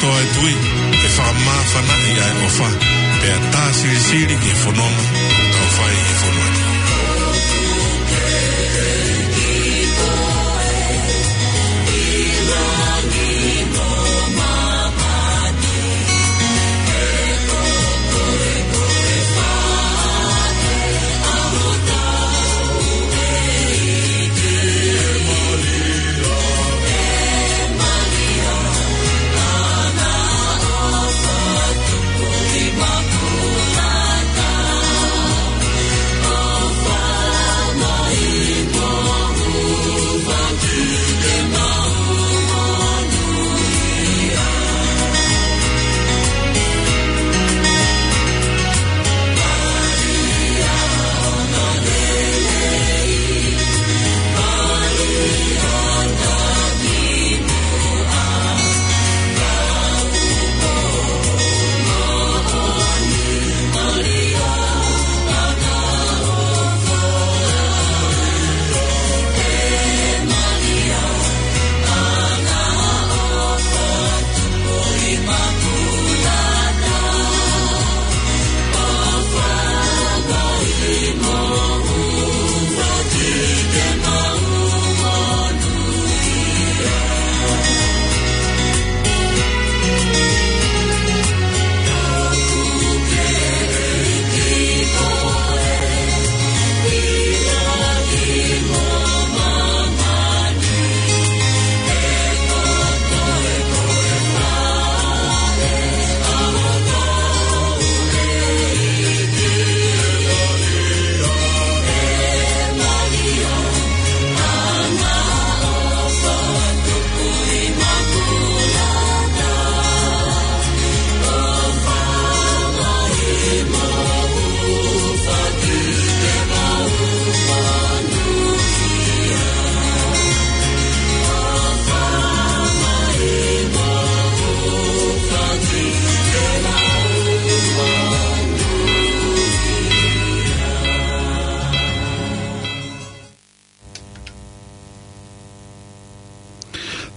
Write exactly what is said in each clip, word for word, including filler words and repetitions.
Toa e tui, ke fakamāfanaʻi ʻa e ʻofa, pea tā silisili ki he fononga ʻoku tau fai ʻi he fonua ni.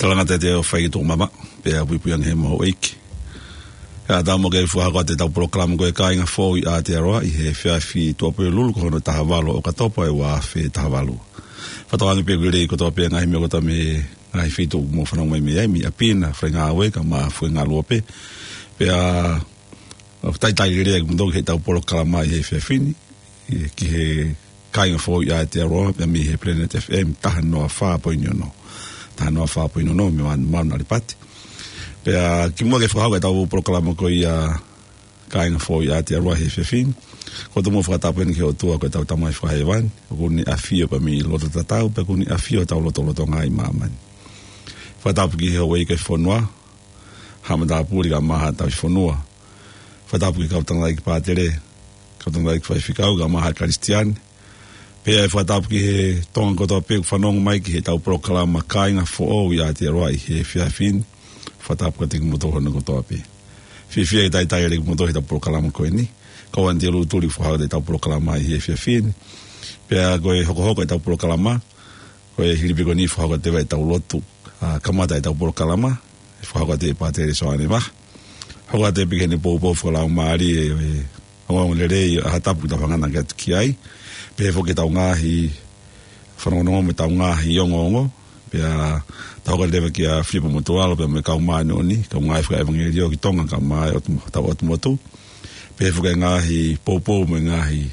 Talangata te o fai ki tuku mama, pea puipui ange he mau ʻeiki. ʻE ʻatā mo ke fakahoko atu ʻetau polokalama ko e Kāinga Foʻou ʻi Aotearoa ʻi he efiafi Tuʻapulelulu ko hono taha valu ʻo ʻOkatopa ʻo e ua afe taha valu. Fakatauange pē ʻoku lelei kotoa pē ngaahi meʻa kotoa mei he ngaahi feituʻu ʻoku mou fanongo mai mei ai, mei ʻapi na, faingāue kae ʻumaʻā faingaluope. Pea ʻoku talitali lelei ʻa kimoutolu ki heʻetau polokalama ʻi he efiafi ni, ʻi he, ki he Kāinga Foʻou ʻi Aotearoa, pea mei he Planet F M taha noa fā poini ono. Taha noa fā poini ono, mei Maun-, Maunalipati. Pea kimuʻa ke fakahoko ʻetau polokalama ko ia Kāinga Foʻou ʻi Aotearoa he efiafi ni, ʻoku ou tomuʻa fakatapu heni ki he ʻOtua ko ʻetau Tamai Fakahēvani, ʻoku ne ʻafio pē mei loto tatau, pea ʻoku ne ʻafio ʻi hotau lotolotonga ʻi māmani. Fakatapu ki he houʻeiki ʻo e fonua, Haʻa Matāpule kae ʻumaʻā Haʻa Tauhi Fonua. Fakatapu ki he kau tangataʻeiki pātele, kau tangataʻeiki faifekau kae ʻumaʻā Haʻa Kalisitiane. Pea ʻe fakatapu ki he Tonga kotoa pē ʻoku fanongo mai ki heʻetau polokalama Kāinga Foʻou ʻi Aotearoa ʻi he efiafi ni. Fakatapu kiate kimoutolu hono kotoa pē. Fiefia ke talitali lelei kimoutolu heʻetau polokalama ko eni. Kau Anti Lutuli ʻoku fakahoko atu ʻetau polokalama ʻi he efiafi ni. Pea ko e hokohoko ʻetau polokalama, ko e hili pē ko eni ʻe fakahoko atu ʻetau lotu, ʻa, kamata ʻetau polokalama, ʻe fakahoko atu ʻe Pātele Soane Vaha. Hoko atu pē ki heʻene poupou fakalaumālie ʻo e ongoongolelei ʻa ha tapu ʻoku tau hanga ʻaki atu ki ai. Pehē foki ʻetau ngaahi fanongonongo mo ʻetau ngaahi ongoongo. Pea tau hoko atu leva kia Filipa Motuʻalo, pea mo e kau māʻoniʻoni, kau ngāue fakaʻevangeliō ki Tonga kae ʻumaʻā ʻo tau ʻotu motu. Pehē foki e ngaahi poupou mo e ngaahi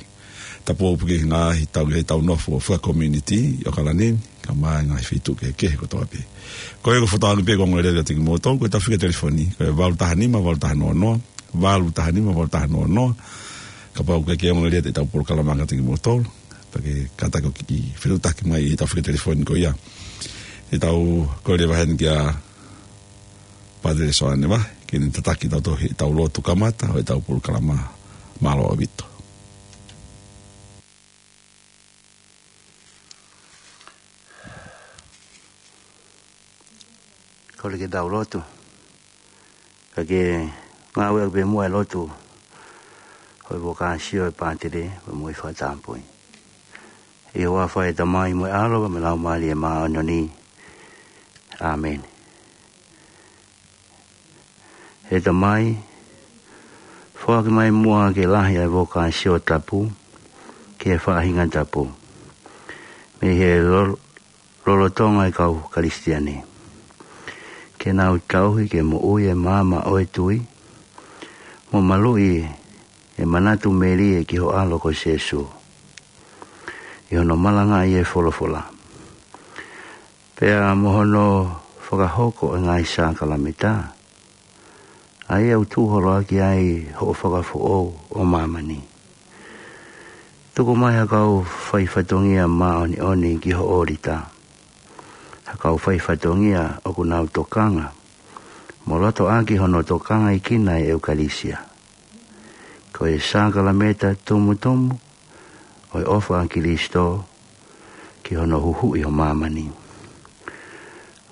tapou pē ki he ngaahi tau, ki heʻetau nofo fakakomiunitī ʻi ʻAokalani ni, kae ʻumaʻā e ngaahi feituʻu kehekehe kotoa pē. Ko ia ʻoku ou fakatauange pē ʻoku ongo lelei kiate kimoutolu, ko ʻetau fika telefoni, ko e valu taha nima, valu taha noa noa, valu taha nima, valu taha noa noa. Kapau ʻoku ʻikai ke ongo lelei ʻetau polokalama kiate kimoutolu, pea ke kātaki ʻo kiʻi fetuʻutaki mai ʻi heʻetau fika telefoni ko ia. ʻE tau kole leva heni kia Pātele Soane Vaha, ke ne tataki kitautolu heʻetau lotu kamata ʻo ʻetau polokalama. Mālō ʻaupito. Kole ke tau lotu. Ka ke ngāueʻaki pē muʻa e lotu ʻo e vokāsio ʻa Pātele, pea mo e fakatapui. ʻI he huafa ʻo e Tamai mo e ʻAlo, pea mo e Laumālie Māʻoniʻoni. ʻĀmeni. ʻE Tamai, foaki mai muʻa ke lahi ʻa e vokāsio tapu ki he faʻahinga tapu mei he lo- lolotonga ʻo e kau Kalisitiane, ke nau tauhi ke moʻui ʻa e maama ʻo e tui, mo maluʻi ʻa e manatu melie ki ho ʻAlo ko Sīsū ʻi hono malangaʻi ʻa e folofola, pea mo hono fakahoko ʻa e ngaahi sākalamēniti, ʻa ia ʻoku tuʻu holoʻaki ai hoʻo fakafoʻou ʻo māmani. Tuku mai ha kau faifatongia māʻoniʻoni ki ho ʻōlita, ha kau faifatongia ʻoku nau tokanga mo loto ʻaki hono tokangaʻi ʻa e ʻEukalisia, ko e sākalamēniti tumutumu ʻo e ʻofa ʻa Kalaisi ki hono huhuʻi ʻo māmani.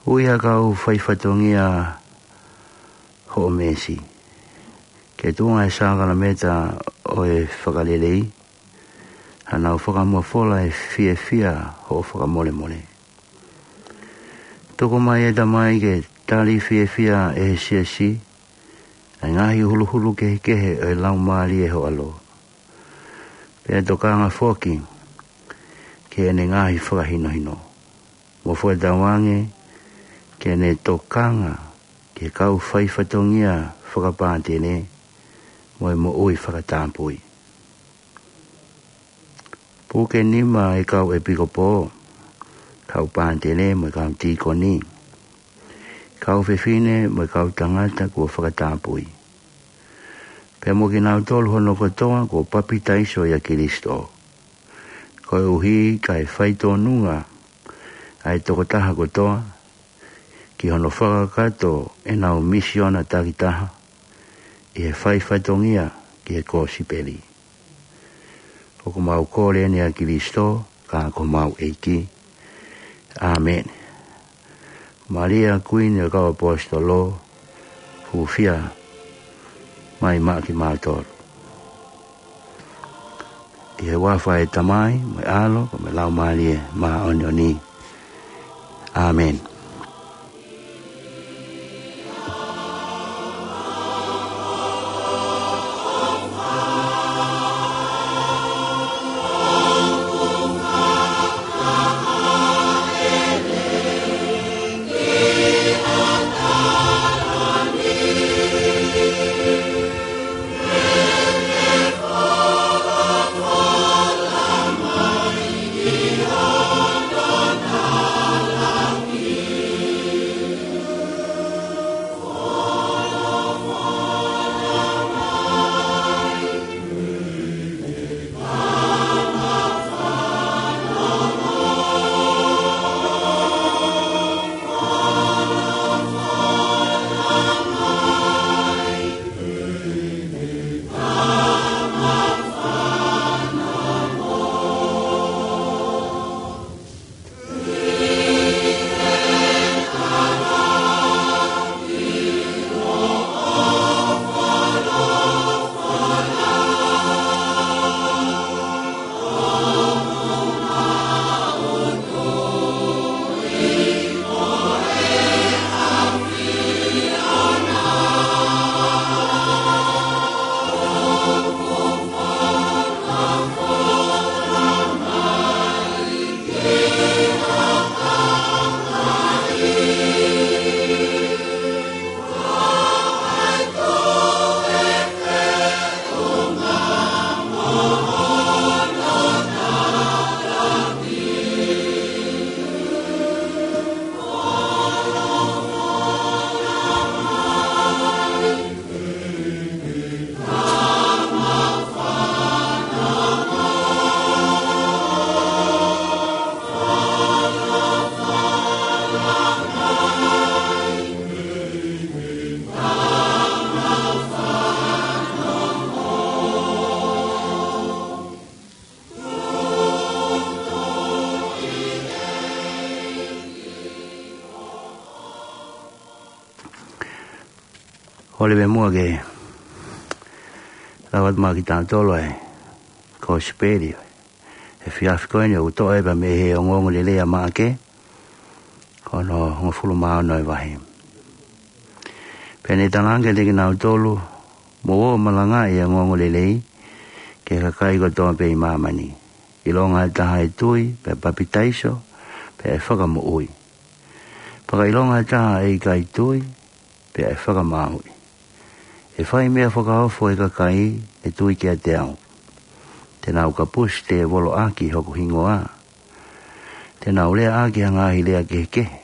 Ui ha kau faifatongia hoʻo meesi ke tuʻunga ʻa e sākalamēniti ʻo e fakalelei, hanau fakamofola ʻa e fiefia hoʻo fakamolemole. Tuku mai, ʻe Tamai, ke tali fiefia ʻe he siasi ʻa e ngaahi huluhulu kehekehe ʻo e Laumālie ʻo ho ʻAlo, pea tokanga foki ki heʻene ngaahi fakahinohino, mo fakatauange ke ne tokanga ki he kau faifatongia fakapātene mo e moʻui fakatapui. Puke nima ʻa e kau ʻepikopō, kau pātene mo e kau tīkoni, kau fefine mo e kau tangata kuo fakatapui, pea mo kinautolu hono kotoa kuo papitaiso ʻia Kalaisi, koeʻuhi kae faitōnunga ʻa e tokotaha kotoa ki hono fakakakato ʻenau misiona takitaha ʻi he faifatongia ki he kosipeli. ʻOku mau kole ni ʻia Kalaisi, ka ko homau ʻEiki. ʻĀmeni. Malia, Kuini ʻo e kau ʻAposetolo, hūfia mai maʻa kimautolu. ʻI he huafa ʻo e Tamai, mo e ʻAlo, mo e Laumālie Māʻoniʻoni. ʻĀmeni. Holi me mua ke lau atu maʻa kitautolu ʻa e kosipeli ʻo e efiafi ko eni, ʻoku toʻo ia mei he ongoongolelei ʻa Maʻake, ko hono hongofulu mā ono ʻo e vahe. Pea ne talaange kiate kinautolu, Mou ō ʻo malangaʻi ʻa e ongoongolelei ki he kakai kotoa pē ʻi māmani. ʻIlonga ha taha ʻe tui, pea papitaiso, pea ʻe fakamoʻui. Pea ka ʻilonga ha taha ʻe ʻikai tui, pea ʻe fakamāuʻi. ʻE fai meʻa fakaofo ʻe he kakai ʻe tui kiate au. Te nau kapusi tēvolo ʻaki hoku hingoa. Te nau lea ʻaki ha ngaahi lea kehekehe.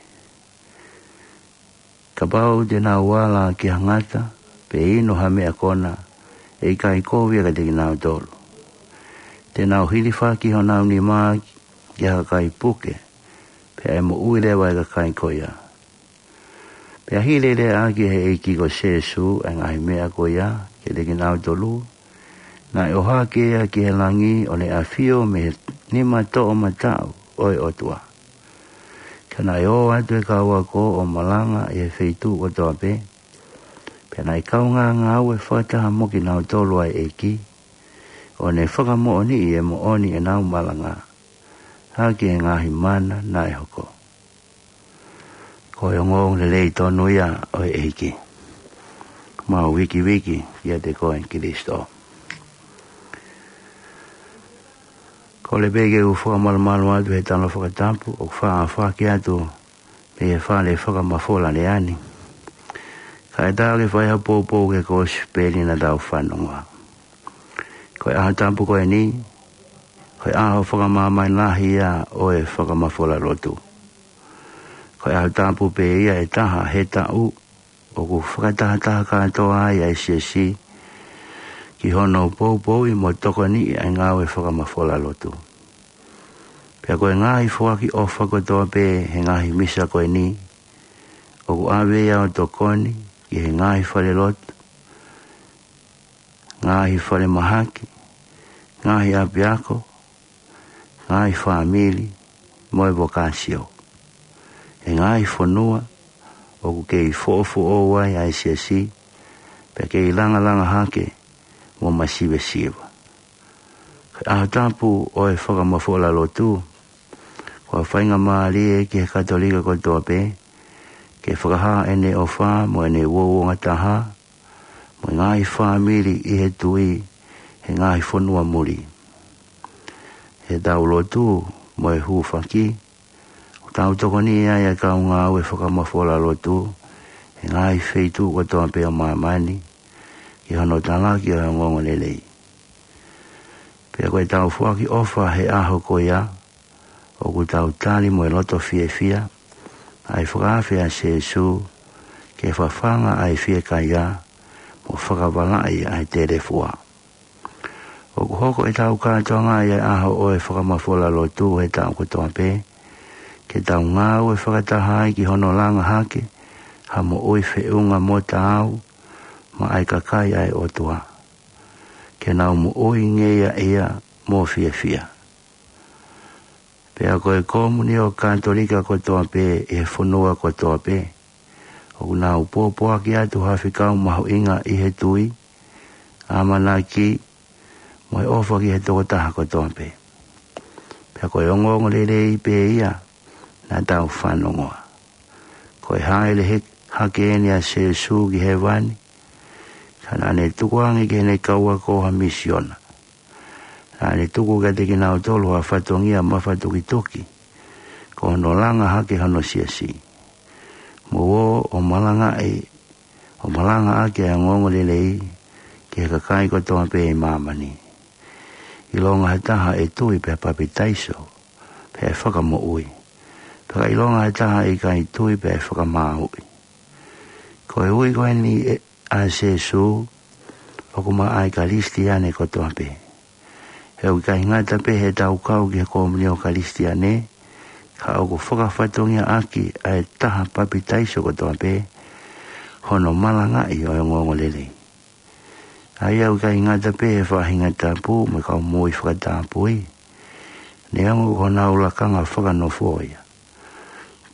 Kapau te nau ala ki ha ngata, pe inu ha meʻa kona, ʻe ʻikai kovi ia kiate kinautolu. Te nau hilifaki honau nima ki ha kakai puke, pea ʻe moʻui leva ʻa e kakai ko ia. Pea hili e lea ʻaki ʻe he ʻEiki ko Sīsū ʻa e ngaahi meʻa ko ia kiate kinautolu, naʻe ʻohake ia ki he langi ʻo ne ʻafio mei he nima toʻomataʻu ʻo e ʻOtua. Ka naʻe ō atu e kau ako ʻo malanga ʻi he feituʻu kotoa pē. Pea naʻe kaungā ngāue fakataha mo kinautolu ʻa e ʻEiki, ʻo ne fakamoʻoniʻi e moʻoni ʻenau malanga, ʻaki e ngaahi mana naʻe hoko. Ko e ongoongolelei tonu ia ʻo e ʻEiki. Mau vikiviki kiate koe Kilisitō. Kole pē ke u fakamalumalu atu he tala fakatapu ʻoku faʻa foaki atu mei he fale fakamafola leá ni. Kae ʻatā ke fai ha poupou ki he kosipeli naʻa tau fanongoa. Ko e ʻaho tapu ko eni, ko e ʻaho fakamāmani lahi ia ʻo e fakamafola lotu. Ko e ʻaho tapu pē ia ʻe taha he taʻu ʻoku fakatahataha kātoa ai ʻa e siasi ki hono poupouʻi mo tokoniʻi ʻa e ngāue fakamafola lotu. Pea ko e ngaahi foaki ʻofa kotoa pē he ngaahi misa ko eni, ʻoku ʻave ia ʻo tokoni ki he ngaahi falelotu, ngaahi falemahaki, ngaahi ʻapiako, ngaahi fāmili, mo e vokāsio. ʻE ngaahi fonua ʻoku kei foʻofoʻou ai ʻa e siasi, pea kei langalanga hake mo masivesiva. Ko e ʻaho tapu ʻo e fakamafola lotu, ko e faingamālie ki he Katolika kotoa pē ke fakahā ʻene ʻofa mo ʻene uouangataha mo e ngaahi fāmili ʻi he tui he ngaahi fonua muli. He tau lotu mo e hūfaki, ʻoku tau tokoniʻi ai ʻa e kau ngāue fakamafola lotu he ngaahi feituʻu kotoa pē ʻo māmani ki hono talaki ʻo e ongoongolelei. Pea ko e tau foaki ʻofa he ʻaho ko ia, ʻoku tau tali mo e loto fiefia ʻa e fakaafe ʻa Sīsū ke fafanga ʻa e fiekaia mo fakavalaʻi ʻa e telefua. ʻOku hoko e tau kātoanga ʻi he ʻaho ʻo e fakamafola lotu he taʻu kotoa pē, ke tau ngāue fakataha ai ki hono langa hake ha moʻui feʻunga mo taau maʻa e kakai ʻa e ʻOtua, ke nau moʻui ngeia ia mo fiefia. Pea ko e komunio Katolika kotoa pē ʻi he fonua kotoa pē, ʻoku nau pōpoaki atu ha fekau mahuʻinga ʻi he tui, ʻamanaki, mo e ʻofa ki he tokotaha kotoa pē. Pea ko e ongoongolelei pē ia naʻa tau fanongoa. Ko e hāʻele he-, hake eni ʻa Sīsū ki hēvani, ka naʻa ne tukuange ki heʻene kau ako ha misiona. Naʻa ne tuku kiate kinautolu ha fatongia mafatukituki, ko hono langa hake hono siasi. Mou ō ʻo malangaʻi, ʻo malangaʻaki ʻa e ongoongolelei ki he kakai kotoa pē ʻi māmani. ʻIlonga ha taha ʻe tui pea papitaiso, pea ʻe fakamoʻui. Pea ka ʻilonga ha taha ʻe ʻikai tui pea ʻe fakamāuʻi. Ko e ui ko eni ʻe, ʻa Sīsū, ʻoku maʻa e Kalisitiane kotoa pē. He ʻoku ʻikai ngata pē he tau kau ki he komunio Kalisitiane, ka ʻoku fakafatongiaʻaki ʻa e taha papitaiso kotoa pē, hono malangaʻi ʻo e ongoongolelei. ʻA ia ʻoku ʻikai ngata pē he faʻahinga tapu mo e kau moʻui fakatapui, neongo ko honau lakanga fakanofo ia.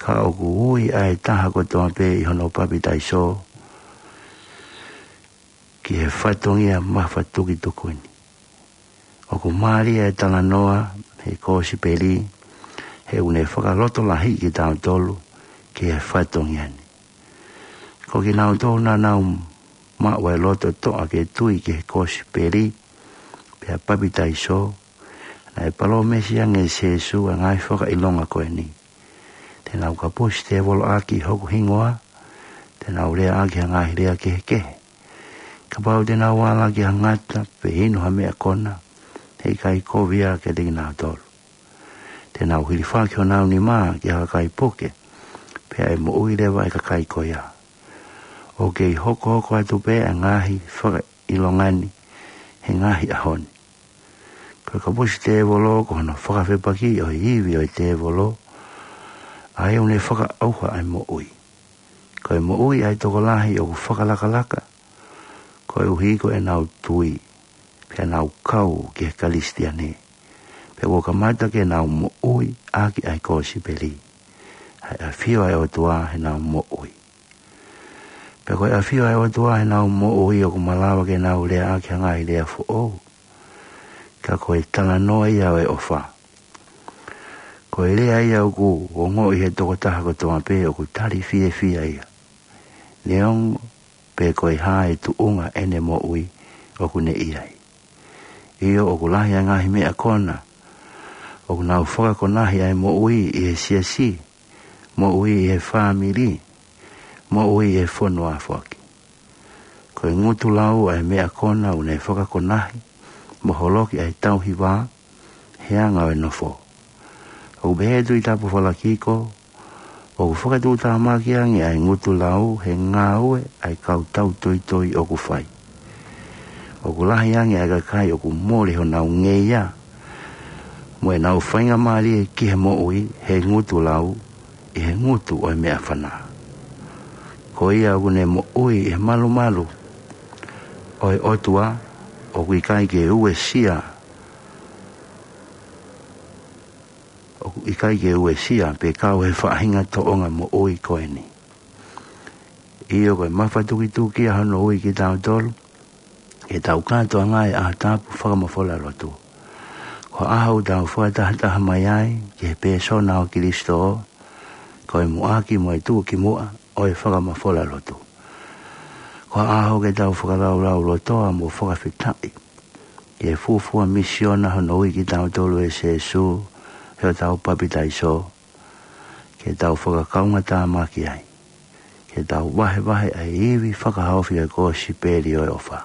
Ka ʻoku ui ʻa e taha kotoa pē ʻi hono papitaiso ki he fatongia mafatukituki ni. ʻOku mālie e talanoa he kosipeli, he ʻoku ne fakalotolahiʻi kitautolu ki he fatongia ni. Ko kinautolu naʻa nau maʻu ʻa e loto toʻa ke tui ki he kosipeli pea papitaiso, naʻe palōmesi ange ʻe Sīsū ʻa e ngaahi fakaʻilonga ko eni: Te nau kapusi tēvolo ʻaki hoku hingoa, te nau lea ʻaki ha ngaahi lea kehekehe. Kapau te nau ala ki ha ngata pe inu ha meʻa kona, heʻikai kovi ia kiate kinautolu. Te nau hilifaki honau nima ki ha kakai puke, pea ʻe moʻui leva ʻa e kakai ko ia. ʻOku kei hokohoko atu pē ʻa e ngaahi fakaʻilonga ni he ngaahi ʻaho ni. Ko e kapusi tēvolo ko hono fakafepaki ʻo e ivi ʻo e tēvolo, ʻa ia ʻoku ne fakaʻauha ʻa e moʻui. Ko e moʻui ʻa e tokolahi ʻoku fakalakalaka, koeʻuhi ko ʻenau tui, pea nau kau ki he Kalisitiane, pea kuo kamata ke nau moʻui ʻaki ʻa e kosipeli, ʻa e ʻafio ʻa e ʻOtua heʻenau moʻui. Pea ko e ʻafio ʻa e ʻOtua heʻenau moʻui ʻoku malava ke nau lea ʻaki ha ngaahi lea foʻou, ka ko e talanoa ia ʻo e ʻofa. Ko e lea ia ʻoku ongoʻi ʻe he tokotaha kotoa pē ʻoku tali fiefia ia, neongo pe ko e hā e tuʻunga ʻene moʻui ʻoku ne ʻi ai. ʻIo, ʻoku lahi ʻa e ngaahi meʻa kona ʻoku nau fakakonahi ʻa e moʻui ʻi he siasi, moʻui ʻi he fāmili, moʻui ʻi he fonua foki. Ko e ngutu lau ʻa e meʻa kona ʻoku ne fakakonahi mo holoki ʻa e tauhi vā he anga ʻo e nofo. ʻOku pehē ʻe he Tuʻi Tapu Falakiko, ʻoku fakatuʻutāmaki ange ʻa e ngutu lau he ngāue ʻa e kau tautoitoi ʻoku fai. ʻOku lahi ange ʻa e kakai ʻoku mole honau ngeia mo ʻenau faingamālie ki he moʻui he ngutu lau ʻi he ngutu ʻo e meʻafana. Ko ia ʻoku ne moʻui ʻi he malumalu ʻo e ʻOtua, ʻoku ʻikai ke uesia, ʻoku ʻikai ke uesia pe kau he faʻahinga tōʻonga moʻui ko eni. ʻIo, ko e mafatukituki ia hono ui kitautolu ke tau kātoanga ʻi he ʻaho tapu fakamafola lotu. Ko e ʻaho ʻoku tau fakatahataha mai ai ki he pēsona ʻo Kilisito, ko e muʻaki mo e tuʻukimuʻa ʻo e fakamafola lotu. Ko e ʻaho ke tau fakalaulaulotoa mo fakafetaʻi ki he fuofua misiona hono ui kitautolu ʻe Sīsū ʻi hotau papitaiso, ke tau fakakaungātāmaki ai, ke tau vahevahe ʻa e ivi fakahaofi ʻo e kosipeli ʻo e ʻofa.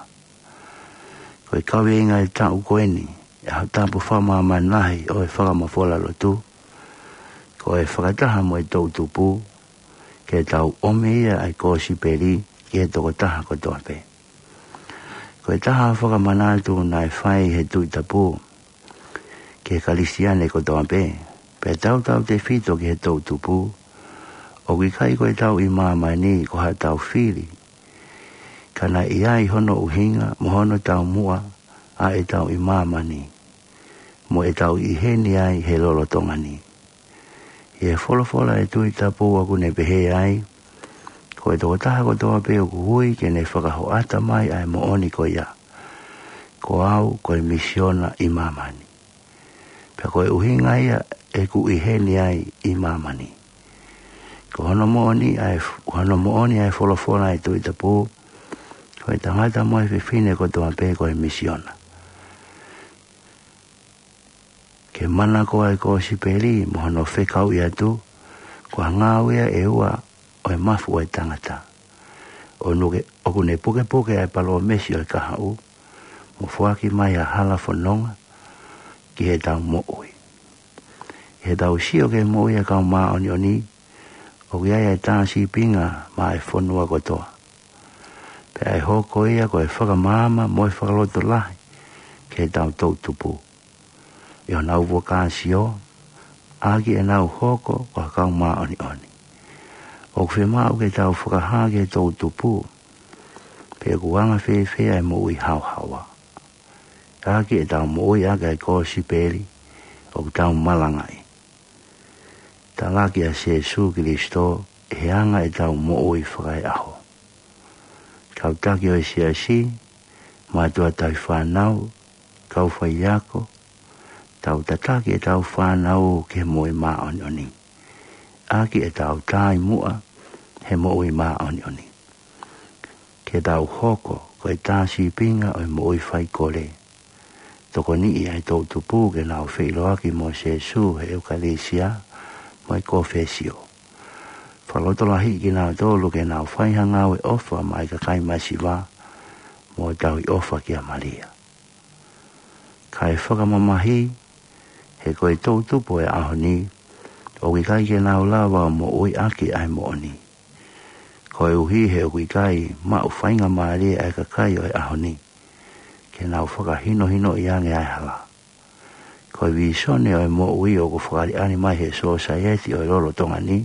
Ko e kaveinga ʻo e taʻu ko eni ʻi he ʻaho tapu fakamāmani lahi ʻo e fakamafola lotu, ko e fakataha mo e toʻutupu, ke tau ʻomi ia ʻa e kosipeli ki he tokotaha kotoa pē. Ko e taha fakamanatu naʻe fai ʻe he Tuʻi Tapu ki he Kalisitiane kotoa pē, pea tautautefito ki he toʻutupu, ʻoku ʻikai ko ʻetau ʻi māmani ko haʻatau fili, ka naʻe ʻi ai hono ʻuhinga mo hono taumuʻa ʻa ʻetau ʻi māmani mo ʻetau ʻi heni ai he lolotonga ni. ʻI he folofola ʻa e Tuʻi Tapu ʻoku ne pehē ai, ko e tokotaha kotoa pē ʻoku ui ke ne fakahoʻata mai ʻa e moʻoni ko ia, ko au ko e misiona ʻi māmani. Pea ko e ʻuhinga ia ʻeku ʻi heni ai ʻi māmani. Ko hono moʻoni ʻa e f-, hono moʻoni ʻa e folofola ʻa e Tuʻi Tapu, ko e tangata mo e fefine kotoa pē ko e misiona. Ke manako ʻa e kosipeli mo hono fekauʻi atu, ko e ngāue ia ʻe ua ʻo e mafu ʻo e tangata. ʻO nuke, ʻoku ne pukepuke ʻa e palōmesi ʻo e kahaʻu, mo foaki mai ʻa e hala fononga ki heʻetau moʻui. ʻI heʻetau sio ki he moʻui ʻa e kau māʻoniʻoni, ʻoku ʻi ai ʻa e tā sīpinga maʻa e fonua kotoa. Pea ʻe hoko ia ko e fakamaama mo e fakalotolahi ki heʻetau toʻutupu ʻi honau vokāsio, ʻaki ʻenau hoko ko ha kau māʻoniʻoni. ʻOku fiemaʻu ke tau fakahā ki he toʻutupu pe ʻoku anga fēfē ʻa e moʻui haohaoa, ʻaki ʻetau moʻui ʻaki ʻa e kosipeli ʻoku tau malangaʻi. Talaki ʻa Sīsū Kilisito ʻi he anga ʻetau moʻui fakaeʻaho. Kau taki ʻo e siasi, mātuʻa tauhi fānau, kau faiako, tau tataki ʻetau fānau ki he moʻui māʻoniʻoni, ʻaki ʻetau taumuʻa he moʻui māʻoniʻoni. ke tau hoko ko e tā sīpinga ʻo e moʻui faikole. Tokoniʻi ʻa e toʻu tupu ke nau feʻiloaki mo Sīsū he ʻEukalisia mo e kōfesio. Fakalotolahiʻi kinautolu ke nau fai ha ngāue ʻofa maʻa e kakai masiva mo tauhi ʻofa kia Malia. Kae fakamamahi, he ko e toʻu tupu ʻo e ʻaho ni, ʻoku ʻikai ke nau lava ʻo moʻui ʻaki ʻa e moʻoni. Koeʻuhi he ʻoku ʻikai maʻu faingamālie ʻa e kakai ʻo e ʻaho ni ke nau fakahinohinoʻi ange ʻa e hala. Ko e vīsone ʻo e moʻui ʻoku fakaʻaliʻali mai he sōsaieti ʻo e lolotonga ni,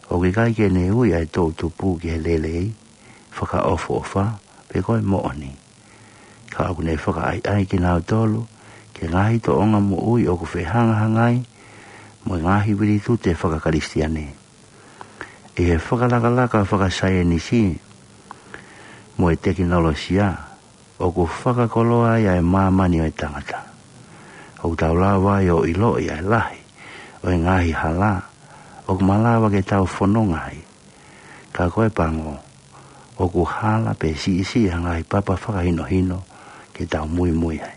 ʻoku ʻikai ke ne ui ʻa e toʻu tupu ki he lelei, fakaʻofoʻofa, pe ko e moʻoni. Ka ʻoku ne fakaʻaiʻai kinautolu ki he ngaahi tōʻonga moʻui ʻoku fehangahangai mo e ngaahi vilitute fakakalisitiane. ʻI he fakalakalaka fakasaienisi mo e tekinolosia, ʻoku fakakoloa ai ʻa e māmani ʻo e tangata. ʻOku tau lava ai ʻo ʻiloʻi ʻa e lahi ʻo e ngaahi hala ʻoku malava ke tau fononga ai. Ka ko e pango, ʻoku hala pe siʻisiʻi ha ngaahi papa fakahinohino ke tau muimui ai.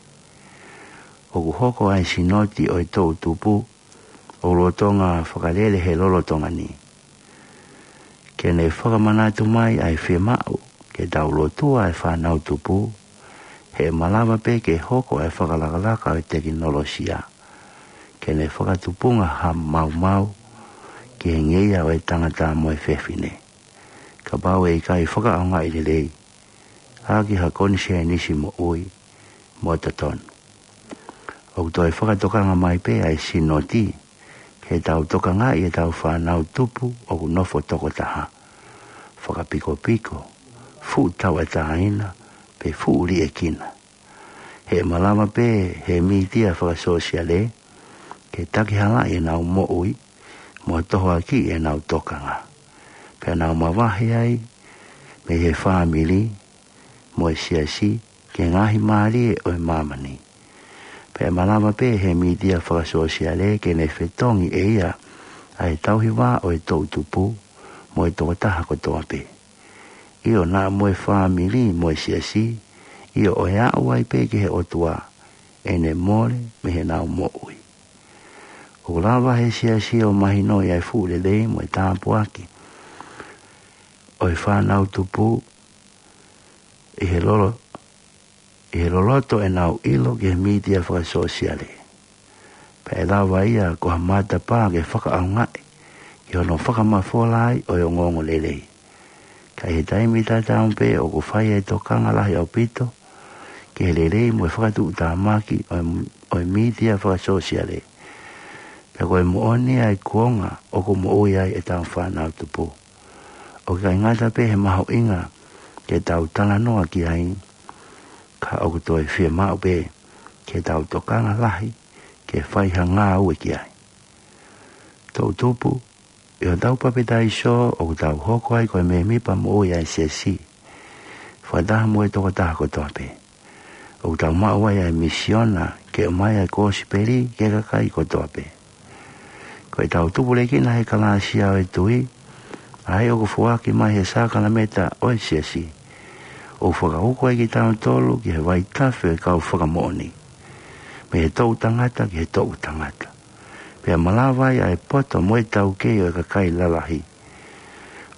ʻOku hoko ʻa e sinoti ʻo e toʻu tupu ʻoku lolotonga fakalele he lolotonga ni ke ne fakamanatu mai ʻa e fiemaʻu ke tau lotua ʻa e fānau tupu, he ʻe malava pē ke hoko ʻa e fakalakalaka ʻo e tekinolosia ke ne fakatupunga ha maumau ki he ngeia ʻo e tangata mo e fefine, kapau ʻe ʻikai fakaʻaongaʻi lelei ʻaki ha konisēnisi moʻui mo totonu. ʻOku toe fakatokanga mai pē ʻa e sinoti ke tau tokangaʻi ʻetau fānau tupu ʻoku nofo tokotaha, fakapikopiko, fuʻu tauʻatāina, pe fuʻu liʻekina. He ʻe malava pē he mītia fakasōsiale ke takihalaʻi ʻenau moʻui mo tohoakiʻi ʻenau tokanga, pea nau mavahe ai mei he fāmili mo e siasi ki he ngaahi mālie ʻo e māmani. Pea ʻe malava pē he mītia fakasōsiale ke ne fetongi ʻe ia ʻa e tauhi vā ʻo e toʻu tupu mo e tokotaha kotoa pē, ʻio, naʻa mo e fāmili mo e siasi, ʻio, ʻo e aʻu ai pē ki he ʻOtua, ʻene mole mei heʻenau moʻui. ʻOku lava he siasi ʻo mahinoʻi ʻa e fuʻu lelei mo e tāpuaki ʻo e fānau tupu ʻi he lolo, ʻi he loloto ʻenau ʻilo ki he mītia fakasōsiale. Pea ʻe lava ia ko ha matapā ke fakaʻaongaʻi ki hono fakamafola ai ʻo e ongoongolelei. Ka ʻi he taimi tatau pē ʻoku fai ʻa e tokanga lahi ʻaupito ki he lelei mo e fakatuʻutāmaki ʻo e, ʻo e mītia fakasōsiale, pea ko e moʻoni ʻa e kuonga ʻoku moʻui ai ʻetau fānau tupu. ʻOku ʻikai ngata pē he mahuʻinga ke tau talanoa ki ai, ka ʻoku toe fiemaʻu pē ke tau tokanga lahi ke fai ha ngāue ki ai. Toʻu tupu, ʻi hotau papitaiso ʻoku tau hoko ai ko e mēmipa moʻui ʻa e siasi. Fakataha mo e tokotaha kotoa pē, ʻoku tau maʻu ai ʻa e misiona ke ʻomai ʻa e kosipeli ki he kakai kotoa pē. Ko ʻetau tupulekina he kalāsia ʻo e tui, ʻa ia ʻoku foaki mai he sākalamēniti ʻo e siasi, ʻoku fakahoko ai kitautolu ki he vaitafe ʻo e kau fakamoʻoni, mei he toʻu tangata ki he toʻu tangata. Pea malava ai ʻa e poto mo e taukei ʻo e kakai lalahi,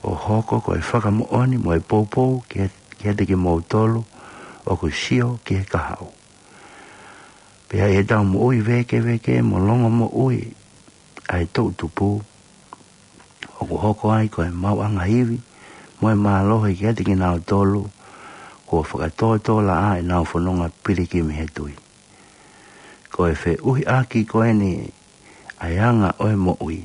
ʻo hoko ko e fakamoʻoni mo e poupou ki, kiate kimoutolu ʻoku sio ki he kahaʻu. Pea ʻi heʻetau moʻui vēkeveke mo longomoʻui ʻa e toʻu tupu, ʻoku hoko ai ko e maʻuʻanga ivi mo e mālohi kiate kinautolu kuo fakatōtōlaʻā ʻenau fononga pilikimi he tui. Ko e feʻuhiʻaki ko eni ʻa e anga ʻo e moʻui,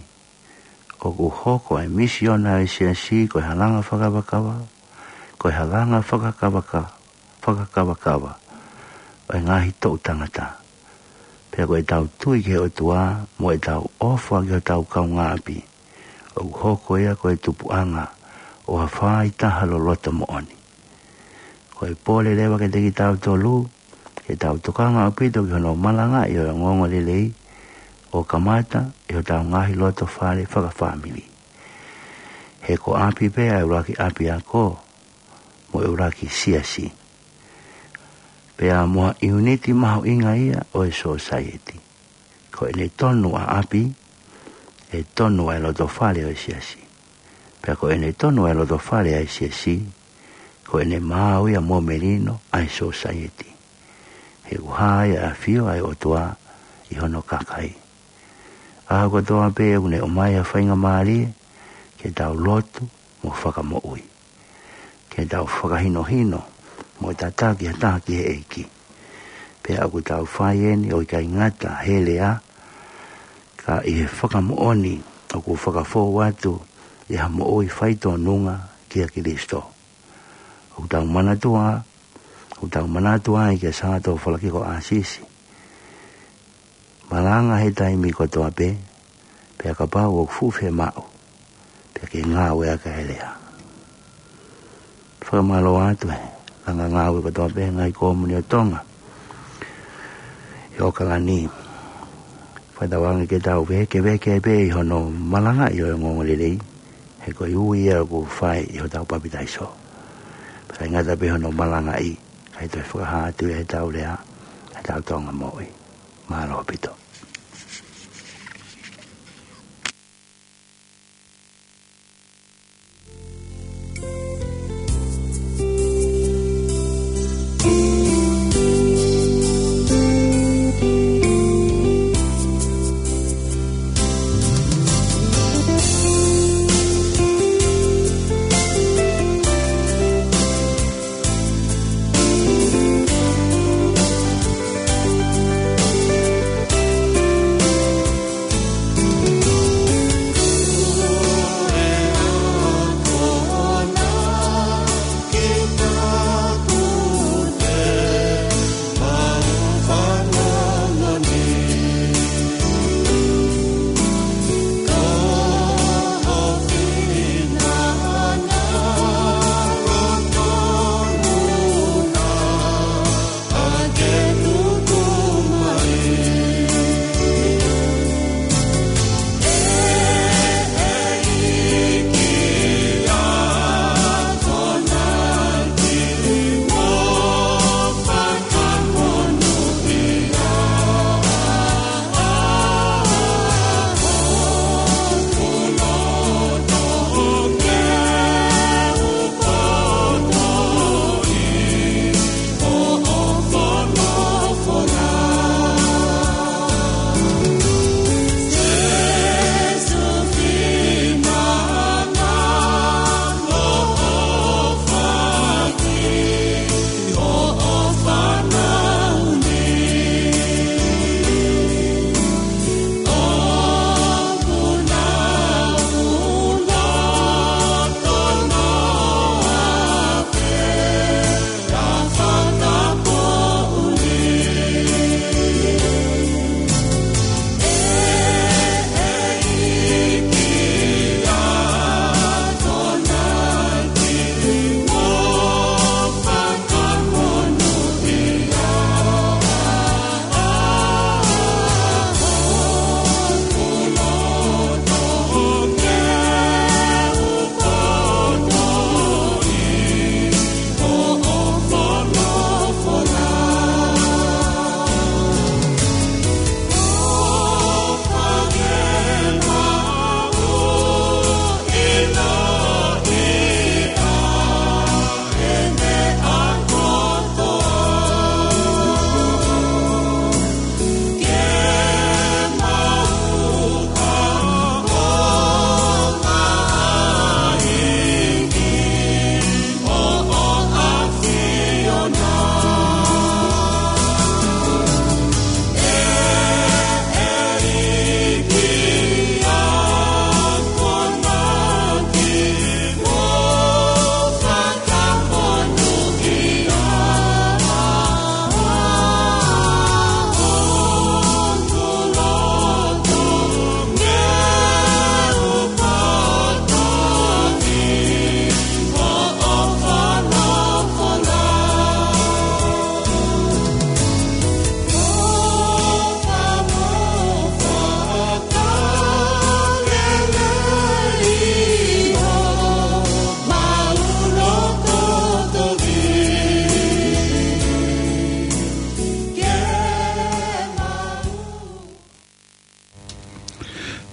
ʻoku hoko ʻa e misiona ʻa e siasi ko e halanga fakakavakava, ko e halanga fakakavaka, fakakavakava ʻo e ngaahi toʻu tangata. Pea ko ʻetau tui ki he ʻOtua mo ʻetau ʻofa ki hotau kaungāʻapi, ʻoku hoko ia ko e tupuʻanga ʻo ha faaitaha loloto moʻoni. Ko e pole leva kiate kitautolu ke tau tokanga ʻaupito ki hono malangaʻi ʻo e ongoongolelei, ʻo kamata ʻi hotau ngaahi loto fale fakafāmili. He ko ʻapi pē ʻa e ʻuluaki ʻapiako, mo e ʻuluaki siasi. Pea mo ha ʻiuniti mahuʻinga ia ʻo e sōsaieti. Ko ʻene tonu ʻa ʻapi, ʻe tonu ʻa e lotofale ʻo e siasi. Pea ko ʻene tonu ʻa e lotofale ʻa e siasi, ko ʻene maau ia mo melino ʻa e sōsaieti. He ʻoku hā ia ʻa e ʻafio ʻa e ʻOtua ʻi hono kakai. ʻA kotoa pē ʻoku ne ʻomai ʻa e faingamālie, ke tau lotu mo fakamoʻui. Ke tau fakahinohino mo tataki ha taha ki he ʻEiki. Pea ʻoku tau fai eni ʻo ʻikai ngata he lea, ka ʻi he fakamoʻoni ʻoku fakafou atu ʻi ha moʻui faitōnunga kia Kalaisi. ʻOku tau manatua, ʻoku tau manatua ai kia Santo Falakiko ʻAsisi. Malanga he taimi kotoa pē, pea kapau ʻoku fuʻu fiemaʻu, pea ke ngāueʻaki ʻa e lea. Fakamālō atu he langa ngāue kotoa pē ngaahi kōmuni ʻo Tonga ʻi ʻAokalani. Fakatauange ke tau vekeveke pē ʻi hono malangaʻi ʻo e ongoongolelei, he ko e ui ia ʻoku fai ʻi hotau papitaiso. Pea ʻikai ngata pē hono malangaʻi, kae toe fakahā atu ia heʻetau lea, heʻetau Tonga moʻui. Mālō ʻaupito.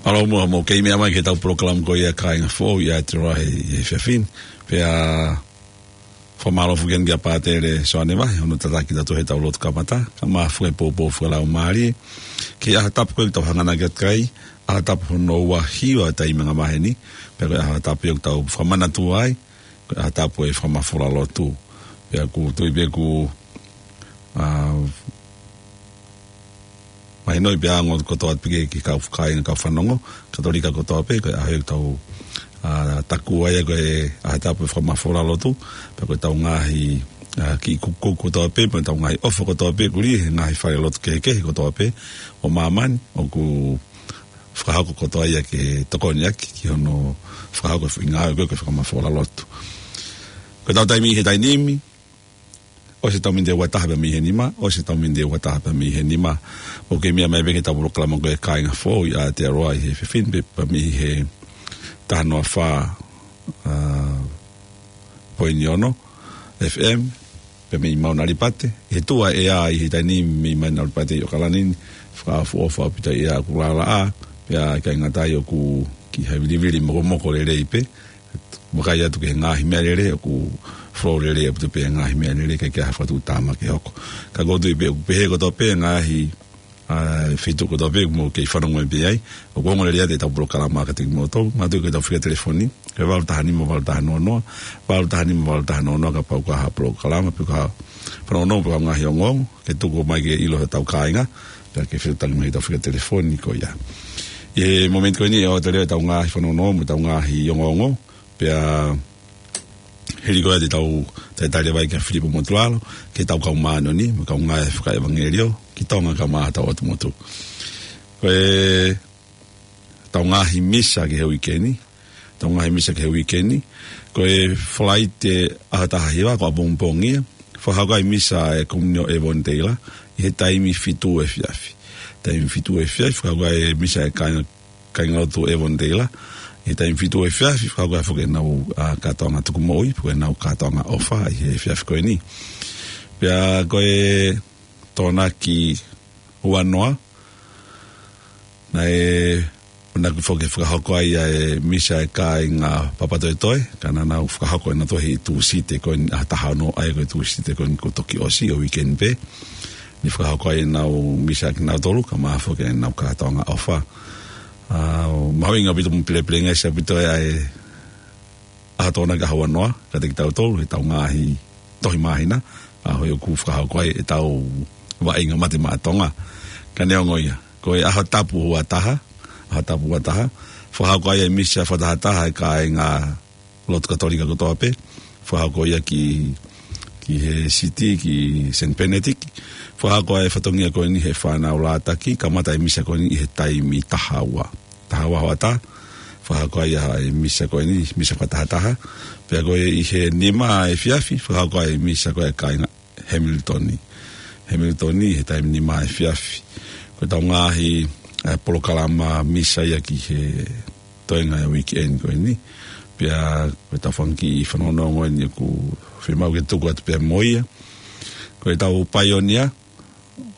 ʻAlo, mou, mou kei meʻa mai ki heʻetau polokalama ko ia Kāinga Foʻou ʻi Aotearoa he, he efiafi ni. Pea fakamālō foki eni kia Pātele Soane Vahe, hono tataki kitautolu heʻetau lotu kamata, kae ʻumaʻā foki e poupou fakalaumālie ki he ʻaho tapu ko ē ʻoku tau hanganaki atu ki ai, ʻaho tapu hono ua hiva ʻo e taimi angamaheni, pea ko e ʻaho tapu ia ʻoku tau fakamanatua ai ko e ʻaho tapu ʻo e fakamafola lotu. Pea ʻoku ou tui pē ʻoku, ā, mahinoʻi pea ongo kotoa pē ki he kau kāinga, kau fanongo Katolika kotoa pē, ko e ʻaho ʻoku tau, ā, takua ai ko e ʻaho tapu ʻo e fakamafola lotu, pea ko ʻetau ngaahi, ā, kiʻi kukukuku kotoa pē, mo ʻetau ngaahi ʻofa kotoa pē, ʻoku lī he ngaahi fale lotu kehekehe kotoa pē ʻo māmani, ʻoku fakahoko kotoa ia ke tokoni ʻaki ki hono fakahoko e foʻi ngāue ko ē ko e fakamafola lotu. Ko ʻetau taimi he taimi ni, ʻosi ʻetau miniti ʻe ua taha pē mei he nima, ʻosi ʻetau miniti ʻe ua taha pē mei he nima, ʻoku kei meʻa mai pē ki heʻetau polokalama ko e Kāinga Foʻou ʻi Aotearoa ʻi he efiafi ni pē, pē mei he taha noa fā, ā, poini ono F M, pē mei Mauna Alipate, he tuʻa ʻea ʻi he taimi ni mei Mauna Alipate ʻi ʻAokalani ni, fakaʻofoʻofa ʻaupito ʻea ʻoku lalaʻā, pea ʻikai ngata ai ʻoku kiʻi havilivili mokomoko lelei pē, vakai atu ki he ngaahi meʻalele, ʻoku flow lelei ʻaupito pē ngaahi meʻalele, ʻikai ke ʻi ai ha fakatuʻutāmaki ʻe hoko. Ka ʻoku ou tui pē ʻoku pehē kotoa pē ngaahi, ā, feituʻu kotoa pē ʻoku mou kei fanongo pē ai. ʻOku ongo lelei atu ʻetau polokalama kiate kimoutolu, manatuʻi ko ʻetau fika telefoni, ko e valu taha nima valu taha noa noa, valu taha nima valu taha noa noa, kapau ʻoku ʻi ai ha polokalama, pe ko ha fanongonongo, pe ko ha ngaahi ongoongo, ke tuku mai ke ʻilo ʻe hotau kāinga, pea ke fetuʻutaki mai ki heʻetau fika telefoni ko ia. ʻI he momeniti ko eni ʻe ʻoatu leva ʻetau ngaahi fanongonongo, mo ʻetau ngaahi ongoongo, pea hili ko ia te tau talitali leva ai kia Filipo Motulalo, ki heʻetau kau māʻoniʻoni, mo e kau ngāue fakaʻevangeliō ki Tonga kae ʻumaʻā hotau ʻotu motu. Ko ʻetau ngaahi misa ki he uike ni, ʻetau ngaahi misa ki he uike ni, ko e Falaite ʻaho taha hiva ko ʻapongipongi ia, fakahoko ai e misa ʻa e Komunio ʻEveniseila, ʻi he taimi fitu efiafi. Taimi fitu efiafi, fakahoko ai e misa ʻa e kāinga, kāingalotu ʻEveniseila, ʻi he taimi fitu efiafi, fakahoko ai foki ʻenau, ā, kātoanga tukumoʻui, pe ko ʻenau kātoanga ʻofa, ʻi he efiafi ko eni. Pea ko e Tokonaki ua noa, naʻe ʻamanaki foki ke fakahoko ai ʻa e misa ʻa e kāinga Papatoetoe, ka naʻa nau fakahoko ʻenautolu he Tūsite ko eni ʻaho taha ono, ʻa ia ko e Tūsite ko eni kuo toki ʻosi ʻo e uike ni pē. Naʻe fakahoko ai ʻenau misa kinautolu, kae ʻumaʻā foki ʻenau kātoanga ʻofa. Ā, mahuʻinga ʻaupito mo pilepilengesi ʻaupito ʻa e ʻaho Tokonaki ʻaho ua noa, kiate kitautolu, heʻetau ngaahi tohi māhina, ʻaho ia ʻoku fakahoko ai ʻetau vaʻinga mate maʻa Tonga. Ka neongo ia, ko e ʻaho tapu ua taha, ʻaho tapu ua taha, fakahoko ai e misa fakatahataha ʻa e kāinga lotu Katolika kotoa pē, fakahoko ia ki, ki he siti, ki Saint Benedict, fakahoko ai e fatongia ko eni he fānau Lātaki, kamata e misa ko eni ʻi he taimi taha ua. Taha ua hoʻatā, fakahoko ai ʻa e misa ko eni, misa fakatahataha. Pea ko e ʻi he nima efiafi, fakahoko ai e misa ko e kāinga Hamilton. Hamilton ʻi he taimi nima efiafi. Ko ʻetau ngaahi, ā, polokalama misa ia ki he toenga ʻo e uike ni ko eni. Pea ko ʻetau fanga kiʻi fanongonongo eni ʻoku fiemaʻu ke tuku atu pea mo ia. Ko ʻetau paionia,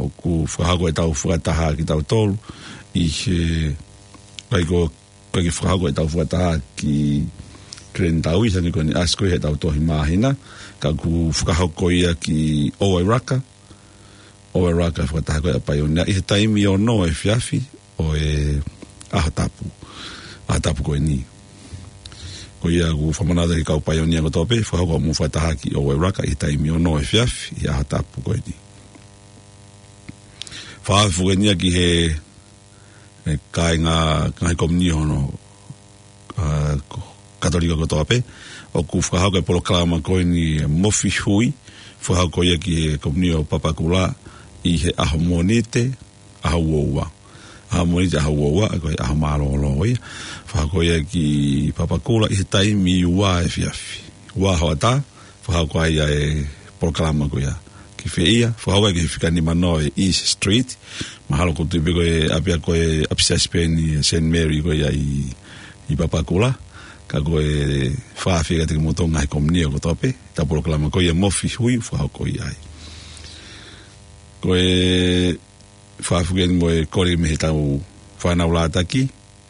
ʻoku fakahoko ʻetau fakataha kitautolu ʻi he, ʻikai ko, ʻikai ke fakahoko ʻetau fakataha ki Glen Taoui, hangē ko eni ʻasi ko ia heʻetau tohi māhina, ka ʻoku fakahoko ia ki Owairaka, Owairaka fakataha ko ia ʻa e paionia, ʻi he taimi ono efiafi ʻo e ʻaho tapu, ʻaho tapu ko eni. Ko ia ʻoku fakamanatu ki he kau paionia kotoa pē, fakahoko hoʻomou fakataha ki Owairaka ʻi he taimi ono efiafi ʻi he ʻaho tapu ko eni. Fakahoko foki eni ia ki he, e, kāinga, ngaahi komiuniti hono, ā, ko-, Katolika kotoa pē, ʻoku fakahoko e polokalama ko eni Mofi Hui, fakahoko ia ki he komiuniti ʻo Papakura ʻi he ʻaho Mōnite, ʻaho ua ua. ʻAho Mōnite ʻaho ua ua, ko e ʻaho mālōlō ia. Fakahoko ia ki Papakura ʻi he taimi ua efiafi. Ua hoʻatā, fakahoko ai ʻa e polokalama ko ia. Ki fē ia, fakahoko ai ki he fika nima noa ʻo e East Street. Mahalo ʻoku ou tui pē ko e ʻapiako ʻo e ʻapisiasi pē eni Saint Mary ko ia ʻi, ʻi Papakura. Ka ko e fakaafeʻi kiate kimoutolu ngaahi komiuniti kotoa pē, ʻetau polokalama ko ia Mofi Hui, fakahoko ia ai. Ko e fakaafeʻi eni mo e kole mei heʻetau fānau Lātaki,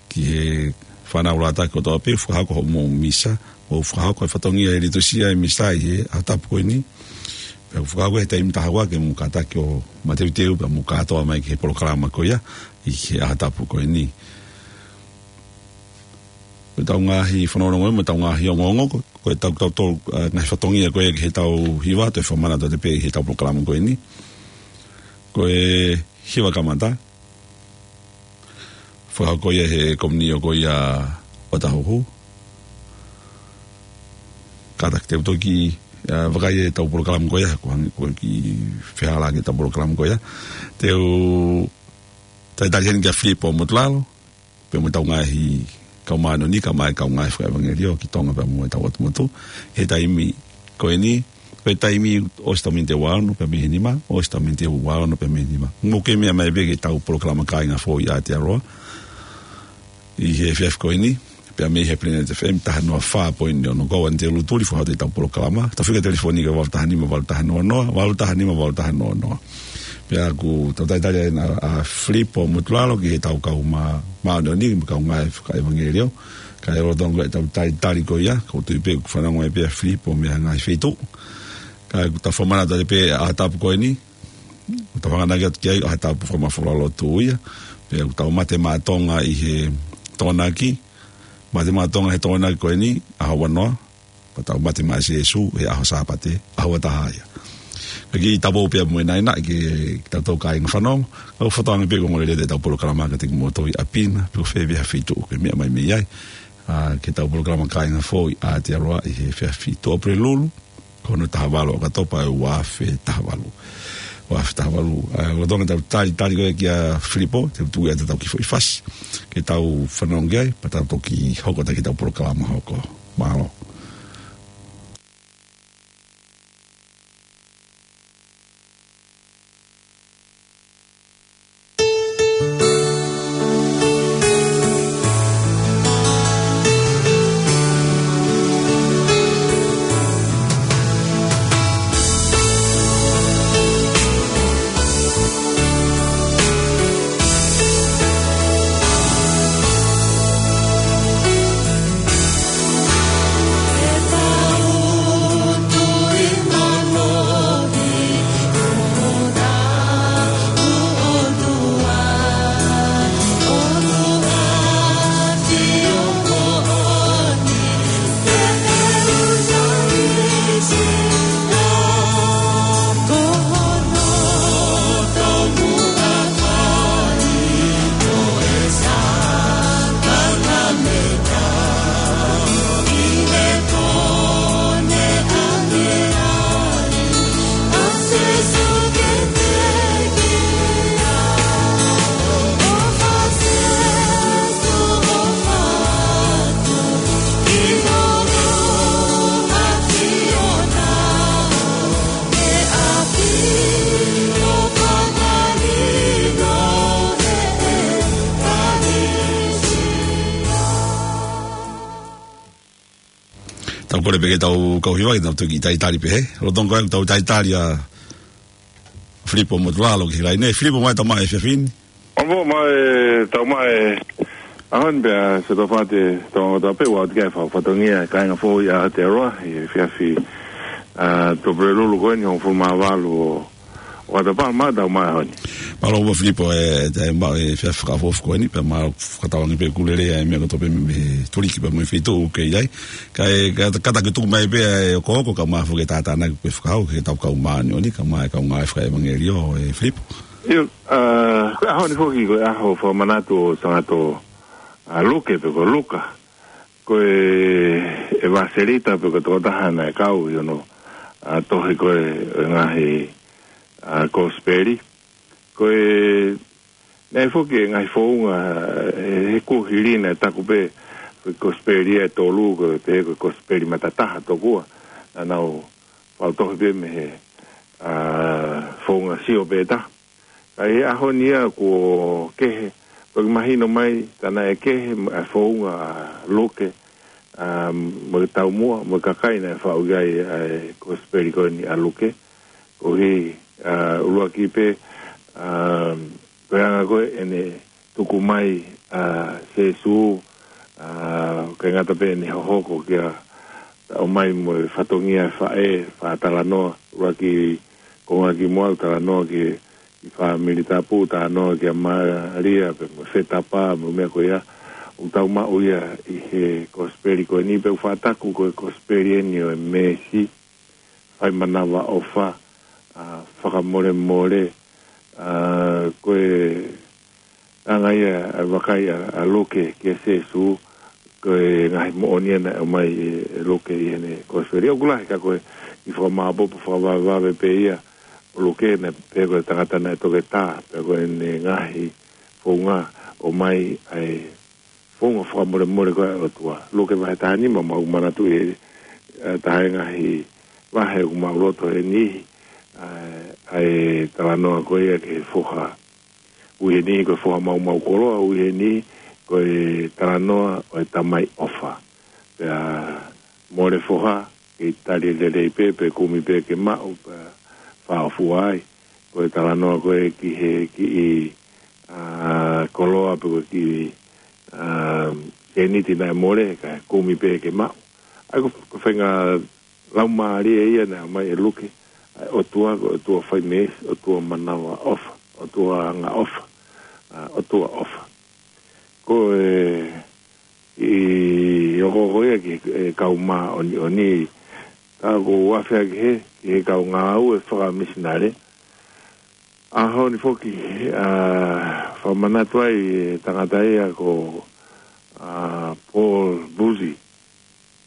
ki he fānau Lātaki kotoa pē, fakahoko hoʻomou misa, ʻo fakahoko e fatongia e litūsia e misa ʻi he ʻaho tapu ko eni. Pea fakahoko he taimi taha ua ke mou kātaki ʻo mateuteu, pea mou kātoa mai ki he polokalama ko ia, ʻi he ʻaho tapu ko eni. Ko ʻetau ngaahi fanongonongo, mo ʻetau ngaahi ongoongo, ko, ko ʻetau tau tau, ʻa, ngaahi fatongia ko ia ki heʻetau hiva, toe fakamanatu atu pē ʻi heʻetau polokalama ko eni. Ko e hiva kamata, fakahoko ia he komiunio ko ia ʻo Tahuhu. Kātaki te u toki, ʻa, vakai ʻetau polokalama ko ia, ko e hangē ko e kiʻi fehālaaki ʻetau polokalama ko ia. Te u talitali heni kia Filipo Motulalo, pea mo ʻetau ngaahi kau māʻoniʻoni, kae ʻumaʻā e kau ngāue fakaʻevangeliō ki Tonga pea mo ʻetau ʻotu motu. He taimi ko eni, ko e taimi ʻosi ʻetau miniti ua ono pea mei he nima, ʻosi ʻetau miniti ua ono pea mei he nima. Mou kei meʻa mai pē ki heʻetau polokalama Kāinga Foʻou ʻi Aotearoa ʻi he efiafi ko eni, pea mei he Planet F M taha noa fā poini ono. Ko au Anite Lutuli, fakahoko ʻetau polokalama. Tau fika telefoni ki he valu taha nima valu taha noa noa, valu taha nima valu taha noa noa. Pea ʻoku tau talitali ʻa, ʻa Filipo Motulalo ki heʻetau kau mā-, māʻoniʻoni, mo e kau ngāue fakaʻevangeliō. Kae lolotonga ʻetau talitali ko ia, ʻoku ou tui pē ʻoku fanongo mai pē ʻa Filipo mei he ngaahi feituʻu. Kae ʻoku tau fakamanatu atu pē ʻaho tapu ko eni, ʻoku tau hanganaki atu ki ai, ʻaho tapu fakamafola lotu ia. Pea ʻoku tau mate maʻa Tonga ʻi he Tokonaki. Mate maʻa Tonga he Tokonaki ko eni, ʻaho ua noa. Pea tau mate maʻa Sīsū he ʻaho Sāpate, ʻaho ua taha ia. Ka kiʻi tau pē mo e nai nai ke, ke tau tau kāinga fanongo. Kau fakatauange pē ko e ongoongolelei ʻetau polokalama kiate kimoutolu ʻi ʻapi na, pe ko fē pē ha feituʻu ʻoku ke meʻa mai mei ai. ʻA, ki heʻetau polokalama Kāinga Foʻou ʻi Aotearoa ʻi he efiafi Tuʻapulelulu, ko hono taha valu ʻo ʻOkatopa ʻo e ua afe taha valu. Ua afe taha valu. ʻA, lolotonga ʻetau talitali ko ia kia Filipo, te u tuku atu ʻetau kiʻi foʻi fasi ke tau fanongo ki ai, pea tau toki hoko atu ki heʻetau polokalama hoko. Mālō. Tau kole pē ke tau kau hiva ke tau toki talitali pē he. Lolotonga ko ʻetau talitali ʻa Filipo Motulalo ki he laine. Filipo, ʻomai e tau maʻu e efiafi ni. ʻOmai e tau maʻu e ʻaho ni pea se tau fate tau ngota pē ua atu ki he fa-, fatongia Kāinga Foʻou ʻi Aotearoa ʻi he efiafi, ʻa, Tuʻapulelulu ko eni hongofulu mā valu ʻo ʻOkatopa. Mālō e tau maʻu e ʻaho ni. Mālō ʻaupito Filipo, ʻe, ʻe maʻu e efiafi fakaʻofoʻofa ko eni, pea mālō fakatauange pē ʻoku lelei ʻa e meʻa kotoa pē mei, mei he tuliki pea mo e feituʻu ʻoku ke ʻi ai. Kae, ka, kātaki tuku mai pē ʻa e hokohoko kae ʻumaʻā foki e tātānaki ʻoku ke fakahoko ki heʻetau kau māʻoniʻoni, kae ʻumaʻā e kau ngāue fakaʻevangeliō, ʻe Filipo. ʻIo, ʻa, ko e ʻaho ni foki ko e ʻaho fakamanatu ʻo Sangato, ʻa, Luke pe ko Luka. Ko e, ʻEvaselita pe ko e tokotaha naʻe kau ʻi hono, ʻa, tohi ko ē ʻo e ngaahi, ʻa, Kosipeli. Ko e, naʻe foki e ngaahi founga, ʻe, he kuohili naʻe taku pē ko e Kosipeli ʻe tolu, ko e pehē ko e Kosipeli matataha tokua. Naʻa nau fai tohi pē mei he, ʻa, founga sio pē taha. Ka ʻi he ʻaho ni ia kuo kehe, toki mahino mai, tā naʻe kehe ʻa e founga ʻa Luke, ʻa, mo e taumuʻa, mo e kakai naʻe faʻu ki ai ʻa e Kosipeli ko eni ʻa Luke. Koeʻuhi, ʻa, ʻuluaki pē, ʻa, ko e anga ko ē ʻene tuku mai ʻa Sēsū, ʻa, ʻikai ngata pē ʻene hohoko kia, ʻomai mo e fatongia ʻa e faʻē, faʻa talanoa, ʻuluaki konga kimuʻa ʻoku talanoa ki, ki he fāmili tapu, talanoa kia Malia, pea mo e fetapa, mo e meʻa ko ia, ʻoku tau maʻu ia ʻi he kosipeli ko eni, pea ʻoku faʻa taku ko e kosipeli eni ʻo e meesi, fai manavaʻofa, ʻa, fakamolemole, ʻa, ko e anga ia ʻa e vakai ʻa, ʻa Luke kia Sēsū, ko e ngaahi moʻoni ia naʻe ʻomai ʻe, ʻe Luke ʻi heʻene kosipeli. ʻOku lahi ka ko e ʻi he fakamāʻopoʻopo fakavavevave pē ia ʻo Luke naʻe pehē ko e tangata naʻe toketā, pea ko ʻene ngaahi founga ʻomai ʻa e founga fakamolemole ko ē ʻa e ʻOtua. Luke vahe taha nima, mau manatuʻi ʻe, ʻa, taha e ngaahi vahe ʻoku mau loto he niʻihi, ʻa, ʻa e talanoa ko ia ki he foha. Ui he niʻihi ko e foha maumau koloa, ui he niʻihi ko e talanoa ʻo e tamai ʻofa. Pea mole foha, kei tali lelei pē, pe kumi pē ke maʻu, pea fāʻofua ai. Ko e talanoa ko ē ki he kiʻi, ʻa, koloa pe ko e kiʻi, ʻa, sēniti naʻe mole, kae kumi pē ke maʻu. ʻA ia ko, ko e faʻahinga laumālie ia naʻe ʻomai ʻe Luke, ʻa e ʻOtua, ko e ʻOtua fai meesi, ʻOtua manavaʻofa, ʻOtua angaʻofa, ʻa, ʻOtua ʻofa. Ko e, ʻi, ʻoku, ʻoku ia ki he kau māʻoniʻoni, ka ʻoku ou afe hake he, ki he kau ngāue fakamisinale. ʻAho ni foki, ʻa, fakamanatu ai e tangata ia ko, ʻa, Paul Boosey,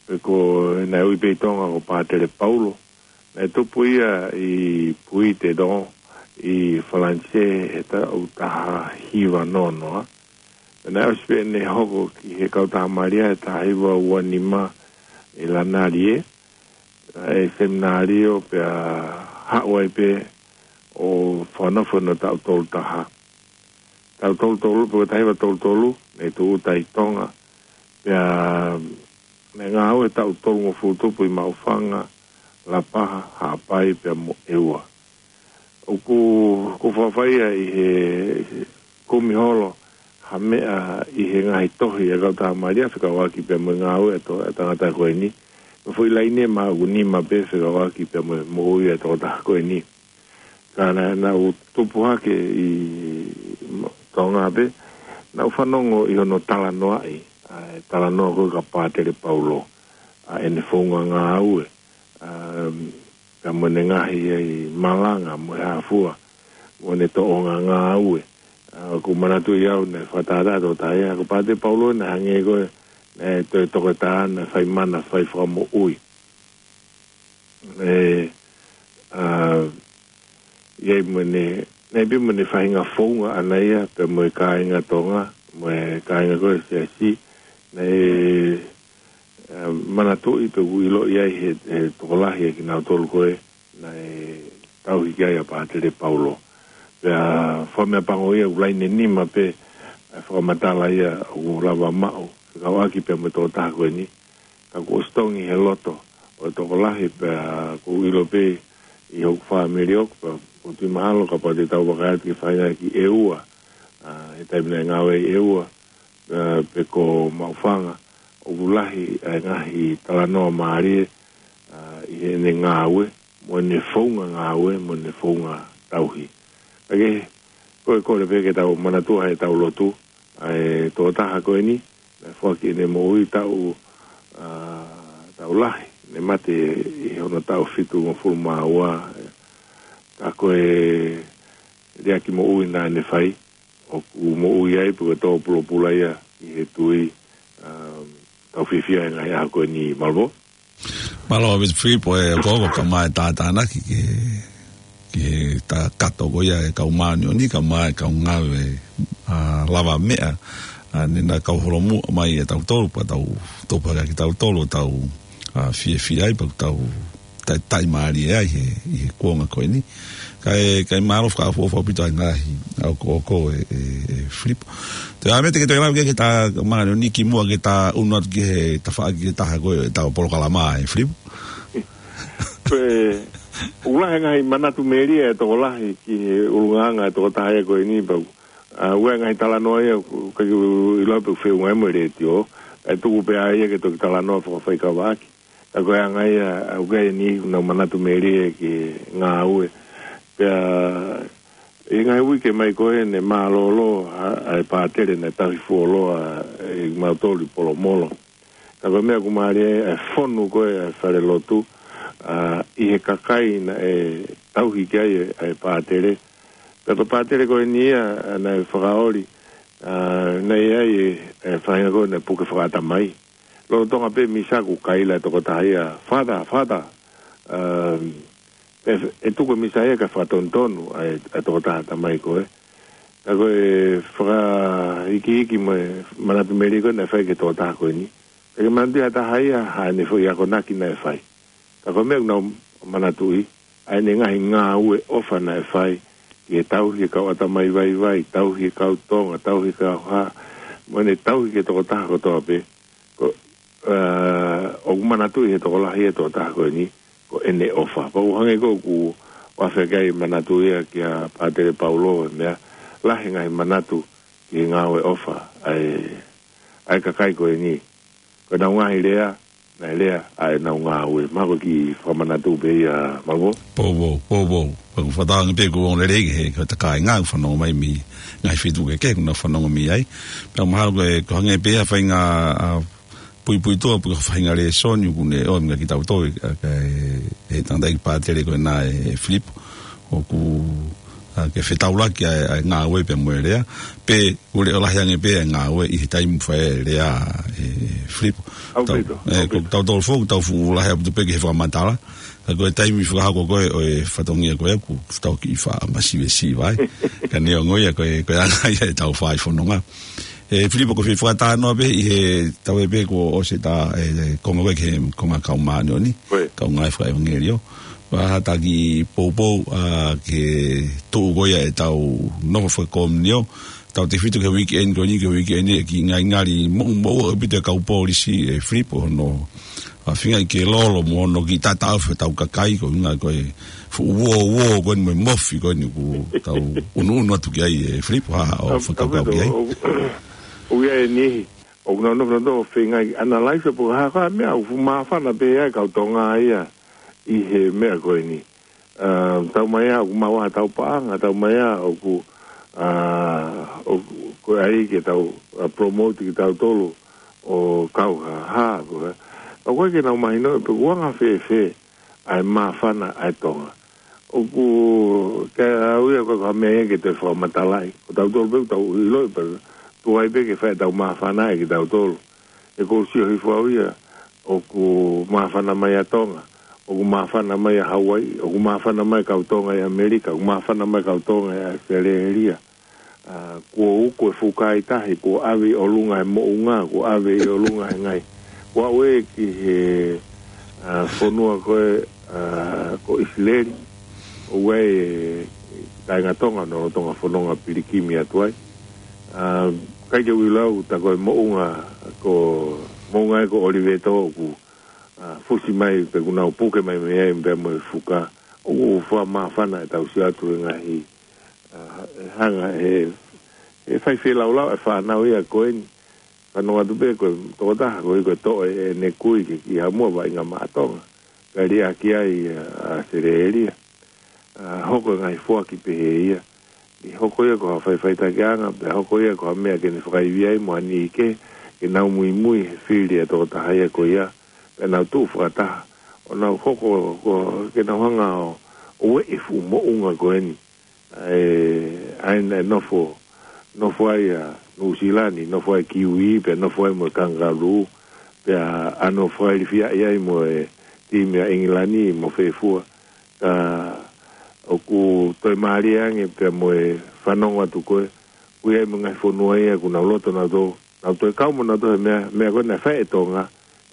pe ko ē naʻe ui pē ʻi Tonga ko Pātele Paulo. Naʻe tupu ia ʻi Puigdidon ʻi Falanisē he taʻu taha hiva noa noa. Naʻe ʻosi pē ʻene hoko ki he kautaha Malia he taha hiva ua nima ʻi Lānalī, ʻa e seminalio pea haʻu ai pē ʻo fakanofo hono taʻu tolu taha. Taʻu tolu tolu, pe ko e taha hiva tolu tolu, naʻe tūʻuta ʻi Tonga. Pea naʻe ngāue taʻu tolungofulu tupu ʻi Maʻufanga, Lapaha, Haʻapai, pea mo ʻEua. ʻOku, ʻoku fakafaia ʻi he kumi holo ha meʻa ʻi he ngaahi tohi ʻa e kautaha Malia fekauʻaki pea mo e ngāue ʻa e to-, ʻa e tangata ko eni. Ko e foʻi laine ʻe maʻu ʻoku nima pē fekauʻaki pea mo e moʻui ʻa e tokotaha ko eni. Ka naʻa, naʻa ku tupu hake ʻi Tonga pē, naʻa ku fanongo ʻi hono talanoaʻi ʻa e talanoa ko ē kia Pātele Paulo, ʻa ʻene founga ngāue, ʻa, ka mo ʻene ngaahi ʻi malanga mo e hā fua, mo ʻene tōʻonga ngāue. ʻA, ʻoku ou manatuʻi au naʻe fakatātā atu ʻa e, ko Pātele Paulo naʻe hangē ko ē naʻe toe toketā, naʻe fai mana, fai fakamoʻui. ʻE, ʻa, ʻi ai mo ʻene, naʻe pē mo ʻene faʻahinga founga ʻaʻana ia, pea mo e kāinga Tonga, mo e kāinga ko ē ʻo e siasi, naʻe, ʻa, manatuʻi pe ʻoku ʻiloʻi ai he, he tokolahi ʻa kinautolu ko ē naʻe tauhi ki ai ʻa Pātele Paulo. Pea fakameʻapango ia ʻoku laine nima pē ʻa e fakamatala ia ʻoku lava maʻu, fekauʻaki pea mo e tokotaha ko eni. Ka kuo ʻosi tongi he loto ʻo e tokolahi pea ʻoku ou ʻilo pē ʻi hoku fāmili ʻoku, pea ʻoku ou tui mahalo kapau te tau vakai atu ki he faʻahinga ki ʻEua, ʻa, he taimi naʻe ngāue ai ʻEua, ʻa, pe ko Maʻufanga, ʻoku lahi ʻa e ngaahi talanoa mālie, ʻa, ʻi heʻene ngāue, mo ʻene founga ngāue, mo ʻene founga tauhi. Ka ke, ko e kole pē ke tau manatua he tau lotu, ʻa e tokotaha ko eni, naʻe foaki ʻene moʻui taʻu, ʻa, taʻu lahi, naʻe mate ʻi hono taʻu fitungofulu mā ua, ka ko e liʻaki moʻui naʻa ne fai, ʻoku moʻui ai pe ko e tō pulopula ia ʻi he tui, ʻa, tau fiefia he ngaahi ʻaho ko eni Malvo. Mālō ʻaupito Filipo e koko ka mai tātānaki ki he, ki he ta-, kato ko ia e kau māʻoniʻoni ka mai kau ngāue, ʻa, lavameʻa, ʻa, ne na kau holomui mai ʻia tautolu, pea tau topa ki tautolu, tau, ʻa, fiefia ai, pea tau tai, tai mālie ai he, ʻi he kuonga ko eni. Kae, kae mālō fakaʻofoʻofa ʻaupito ʻa e ngaahi ʻoku, ʻoku, ʻe, ʻe, ʻe Filipo. Te ʻai mai te ke toe lau ke, ke ta, mālō ni kimuʻa ke ta ʻunu atu ki he tafaʻaki ʻe taha ko ē ʻetau polokalama ʻe Filipo. Ko e, ʻoku lahi e ngaahi manatu melie ʻa e tokolahi ki he ʻulungaanga ʻa e tokotaha ia ko eni pea ʻA, ʻoku ʻi ai e ngaahi talanoa ia, ʻoku ʻikai ke u ʻilo pe ʻoku feʻunga ia mo e letiō, ʻe tuku pē ʻa ia ke toki talanoa fakafaikava ʻaki. Ka ko e anga ia, ʻa, ʻoku ʻi ai e niʻihi ʻoku nau manatu melie ki he ngāue. Pea, ʻi he ngaahi uike mai ko ē ne mālōlō, ʻa, ʻa e pātele naʻe tauhi fuoloa, ʻe mautolu ʻi Polomolo. Ka ko e meʻa ʻoku mālie ai, ʻa e fonu ko ē ʻa e falelotu, ʻa, ʻi he kakai naʻe tauhi ki ai ʻa e, ʻa e pātele. Pea ko e pātele ko eni ia, ʻa, naʻe fakaoli, ʻa, naʻe ʻi ai e, e faʻahinga ko ē naʻe puke fakaʻatamai. Lolotonga pē misa ʻoku kaila e tokotaha ia, "Father, Father," ʻa, ʻe, ʻe tuku e misa ia kae fakatonutonu ʻa e, ʻa e tokotaha ʻatamai ko ē. Ka ko e fakaikiiki mo e manatu melie ko ē naʻe fai ki he tokotaha ko eni. Pea ke manatuʻi ha taha ia, haʻane foʻi akonaki naʻe fai. Ka ko e meʻa ʻoku nau manatuʻi, ʻa ʻene ngaahi ngāue ʻofa naʻe fai, ki he tauhi e kau ʻatamai vaivai, tauhi e kau Tonga, tauhi e kau hā, mo ʻene tauhi ki he tokotaha kotoa pē. Ko, ʻa, ʻoku manatuʻi he tokolahi e tokotaha ko eni, ko ʻene ʻofa. Pea ʻoku hangē ko ē ʻoku ou afe ki ai e manatu ia kia Pātele Paulo, e meʻa, lahi e ngaahi manatu ki he ngāue ʻofa ʻa e, ʻa e kakai ko eni. Ko ʻenau ngaahi lea, naʻe lea ʻa ʻenau ngāue. Mahalo ko e kiʻi fakamanatu pē ia, Mavo. Poupou, poupou. Pea ʻoku ou fakatauange pē ʻoku ongo lelei ki he, ki he kāinga ʻoku fanongo mai mei he ngaahi feituʻu kehekehe ʻoku nau fanongo mei ai. Pea mahalo ko e, ʻoku hangē pē ha faʻahinga, ʻa, puipuituʻa pe ko ha faʻahinga lēsoni ʻoku ne ʻomai kia kitautolu, ʻa, ʻa e, e tangataʻeiki pātele ko ena ʻe Filipo. ʻOku, ʻa, ke fetaulaki ʻa e, ʻa e ngāue pea mo e lea. Pe ʻoku leʻo lahi ange pē ʻa e ngāue ʻi he taimi ʻoku fai ai e lea ʻe Filipo. ʻAupito, tau, ʻe, ʻaupito. Ko tautolu foki, tau fuʻu lahi ʻaupito pē ki he fakamatala. Ka ko e taimi fakahoko ko ē ʻo e fatongia ko ē ʻoku tau kiʻi faʻa masivesiva ai. Ka neongo ia ko e, ko e anga ia ʻetau fai fononga. ʻE, Filipo, ko e fai fakatalanoa pē ʻi he tau ē pē kuo ʻosi ʻeta, ʻe, ʻe, konga ko ē ki he konga kau māʻoniʻoni. Ko ē. Kau ngāue fakaʻevangeliō. Pea ha taki poupou, ʻa, ki he tuʻu ko ia ʻetau nofo fakakomiunio. Tautefito ki he weekend ko eni, ki he weekend ʻe kiʻi ngalingali moʻumoʻua ʻaupito e kau polisi ʻe Filipo hono, ʻa, feingaʻi ke lolo mo hono kiʻi tataʻofi hotau kakai ko e ngaahi ko e fuʻu uō uō ko eni mo e mofi ko eni ʻoku tau unuunu atu ki ai ʻe Filipo, ha, ʻo fakakaukau ki ai. ʻOku, ʻoku ʻi ai e niʻihi ʻoku nau nofo nautolu ʻo feingaʻi analyze pe ko e hā e meʻa ʻoku fuʻu māfana pē ai e kau Tonga ia ʻi he meʻa ko eni. ʻA, tau mai ā ʻoku maʻu ha tau paʻanga, tau mai ā ʻoku, ʻa, ʻoku, ko e ʻai ke tau, ʻa, promote kitautolu ʻo kau ha, ha, ko e. Ka ʻoku ʻikai ke nau mahinoʻi pe ʻoku anga fēfē ʻa e māfana ʻa e Tonga. ʻOku, ke au ia ko e ka meʻa ia ke toe fakamatalaʻi. Ko tautolu pē ʻoku tau ʻiloʻi pē, tuai pē ke fai ʻetau māfana ʻe kitautolu. ʻE ko u sio hifo au ia, ʻoku māfana mai ʻa Tonga, ʻoku māfana mai ʻa Hauaiʻi, ʻoku māfana mai e kau Tonga ʻi ʻAmelika, ʻoku māfana mai e kau Tonga ʻi ʻAositelēlia. ʻA, kuo uku e fuka ʻi tahi, kuo ʻave ʻi ʻolunga e moʻunga, kuo ʻave ʻi ʻolunga e ngaahi. Kuo aʻu ē ki he, ʻa, fonua ko ē, ʻa, ko ʻIsileli, ʻoku ʻi ai e kāinga Tonga, ʻoku nau lolotonga fononga pilikimi atu ai. ʻA, ʻikai ke u ʻilo au, tā ko e moʻunga, ko, moʻunga ē ko ʻOlivetō ʻoku, ʻa, fusi mai pe ʻoku nau puke mai mei ai pea mo e fuka, ʻoku fakamāfana ʻetau sio atu he ngaahi, ʻa, ʻe hanga ʻe, ʻe fai feilaulau e fānau ia ko eni, fanongo atu pē ko e tokotaha ko ē ko e toʻo ʻe, ʻene kui ki, ki Haʻamoa Vaʻinga Maʻa Tonga. Kae liʻaki ai ʻa, ʻAositelēlia. ʻA, hoko e ngaahi foaki pehē ia. ʻI hoko ia ko ha faʻifaʻitakiʻanga, pea hoko ia ko ha meʻa ke ne fakaivia ai mo ha niʻihi kehe, ke nau muimui he fili ʻa e tokotaha ia ko ia, pea nau tuʻu fakataha. ʻO nau hoko, ko, ke nau hanga ʻo, ʻo ueʻi e fuʻu moʻunga ko eni. ʻA e, ʻa ē naʻe nofo, nofo ai ʻa Nuʻusila ni, nofo ai e kiuī, pea nofo ai mo e kangalū, pea ʻa hono fakailifiaʻi ai mo e timi ʻa ʻIngilani mo fē fua. Ka ʻoku toe mālie ange pea mo e fanongo atu ko ē, ʻoku ʻi ai mo e ngaahi fonua ia ʻoku nau loto nautolu, nau toe kau mo nautolu he meʻa, meʻa ko ē naʻe fai ʻe Tonga,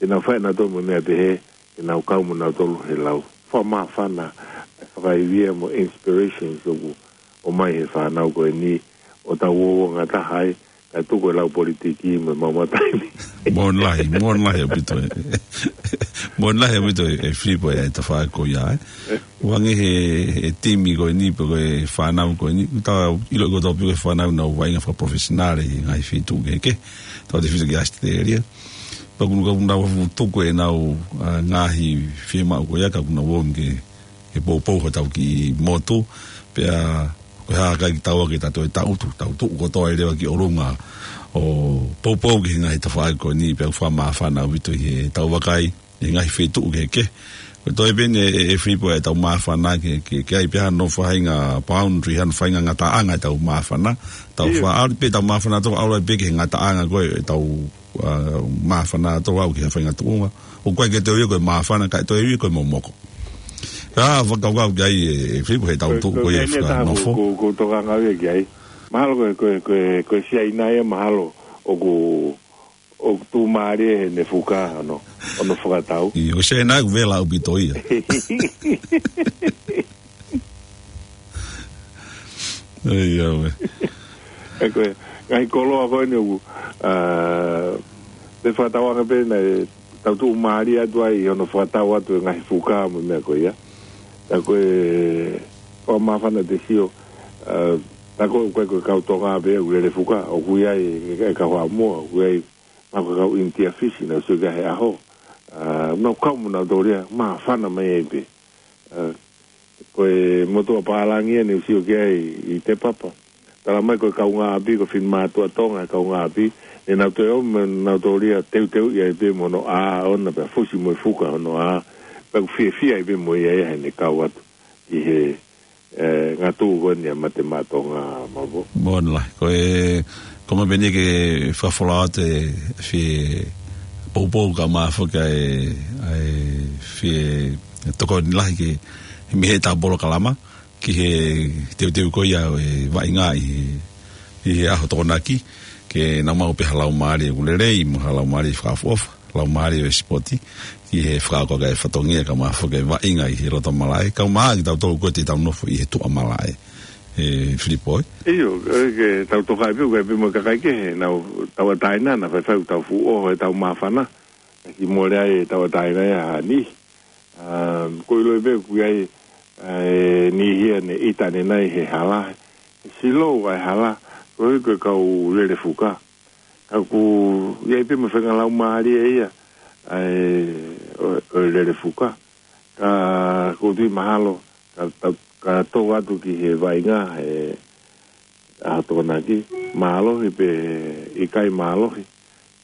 ke nau fai nautolu mo e meʻa pehē, ke nau kau mo nautolu he lau. Fakamāfana e fakaivia mo e inspirations ʻoku ʻomai he fānau ko eni, ʻo tau uouangataha ai, Kae tuku e lau politiki mo e maumau taimi. Moʻoni lahi, moʻoni lahi ʻaupito ē. Moʻoni lahi ʻaupito ē, ʻe Filipo, ʻa e tafaʻaki ko ia ē. ʻOange he, he timi ko eni, pe ko e fānau ko eni. Tau ʻilo ko e tau piko e fānau ʻoku nau vaʻinga fakaprofesionale ʻi he ngaahi feituʻu kehekehe. Tautautefito ki ʻAositelēlia. Pea ʻoku nau, ʻoku nau tuku ʻenau, ʻa, ngaahi fiemaʻu ko ia ka ʻoku nau ō mai ke, ke poupou hotau kiʻi motu. Pea ko e hā ʻikai ke tau ō ke tau toe tangutu, tau tuʻu kotoa ʻi leva ki ʻolunga ʻo poupou ki he ngaahi tafaʻaki ko eni, pea ʻoku fakamāfana ʻaupito ʻi heʻetau vakai ʻi he ngaahi feituʻu kehekehe. Ko e toe pē eni ē, ʻe, ʻe Filipo, ʻetau māfana ke, ke, ke ʻai pē hano faʻahinga boundary, hano faʻahinga ngataʻanga ʻetau māfana. Tau ʻIo. faʻa ʻalu pē ʻetau māfana ʻo aʻu pē ki he ngataʻanga ko ē ʻetau, ʻa, māfana ʻo aʻu ki he faʻahinga tuʻunga. ʻOku ʻikai ke toe ui ia ko e māfana, kae toe ui ia ko e momoko. Ka fakakaukau ki ai ʻe, ʻe Filipo, heʻetau Ko, tuʻu ko ko e eni e taha fakanofo. ko, ko, ko tokanga ia ki ai. Mahalo ko e, ko e, ko e, ko e Siaina ia mahalo ʻoku, ʻoku tuʻumālie heʻene fuka hono, hono fakatau. ʻIo, ko e Siaina ʻoku vela ʻaupito ia. ʻIo, ʻauē. ʻE ko e, ngaahi koloa ko eni ʻoku, ʻa, te fakatauange pē naʻe tau tuʻumālie atu ai ʻi hono fakatau atu e ngaahi fuka mo e meʻa ko ia. Ka ko e, ko e māfana te sio, ʻa, tā ko ē ʻoku ʻikai ko e kau Tonga pē ʻoku lele fuka, ʻoku ʻi ai e, e kau Haʻamoa, ʻoku ʻi ai, mahalo ko e kau ʻInitia Fisi, naʻa ku sio ki ai he ʻaho. ʻA, nau kau mo nautolu ia, māfana mai ai pē. ʻA, ko e motuʻa pālangi ia naʻa ku sio ki ai ʻi Te Papa. Tala mai ko e kaungāʻapi, ko e finemātuʻa Tonga e kaungāʻapi, naʻa nau toe ō mo nautolu ia teuteuʻi ai pē mo hono ʻā ʻoʻona pea fusi mo e fuka hono ʻā, pea ʻoku fiefia ai pē mo ia ia heʻene kau atu ki he, ʻe, ngatu ko eni ʻa e Mate Maʻa Tonga, Malvo. Moʻoni lahi. Ko e, ko ma peni ke fakafola atu e fie poupou ka ma foka e, ʻa e fie tokoni lahi ke mei heʻetau polokalama ki he teuteu ko ia ʻo e vaʻinga ʻi he, ʻi he ʻaho Tokonaki, ke nau maʻu pē ha laumālie ʻoku lelei, mo ha laumālie fakaʻofoʻofa, laumālie ʻo e sipoti, ki he fakaʻofoʻofa e fatongia ka ma foka e vaʻinga ʻi he loto malaʻe, kae ʻumaʻā kitautolu ko ē te tau nofo ʻi he tuʻa malaʻe. ʻE Filipo, ē? ʻIo, ʻe, ke tau tokaʻi pē, ʻoku ʻi ai pē mo e kakai kehe, nau tauʻatāina, naʻa faifai ʻoku tau fuʻu ʻoho ʻetau māfana, ki mole ai e tauʻatāina ia ʻa e niʻihi. ʻA, ʻoku ou ʻilo pē ʻoku ʻi ai, ʻa, e niʻihi ia naʻe ʻita ʻanenai he hala, he silo ʻa e hala, ko e, ko e kau lele fuka. Ka ʻoku ʻi ai pē mo e faʻahinga laumālie ia, ʻa e, ʻo, ʻo e lele fuka. Ka ʻoku ou tui mahalo, ka, ka, ka tō atu ki he vaʻinga, he ʻaho Tokonaki, mālohi pe ʻikai mālohi.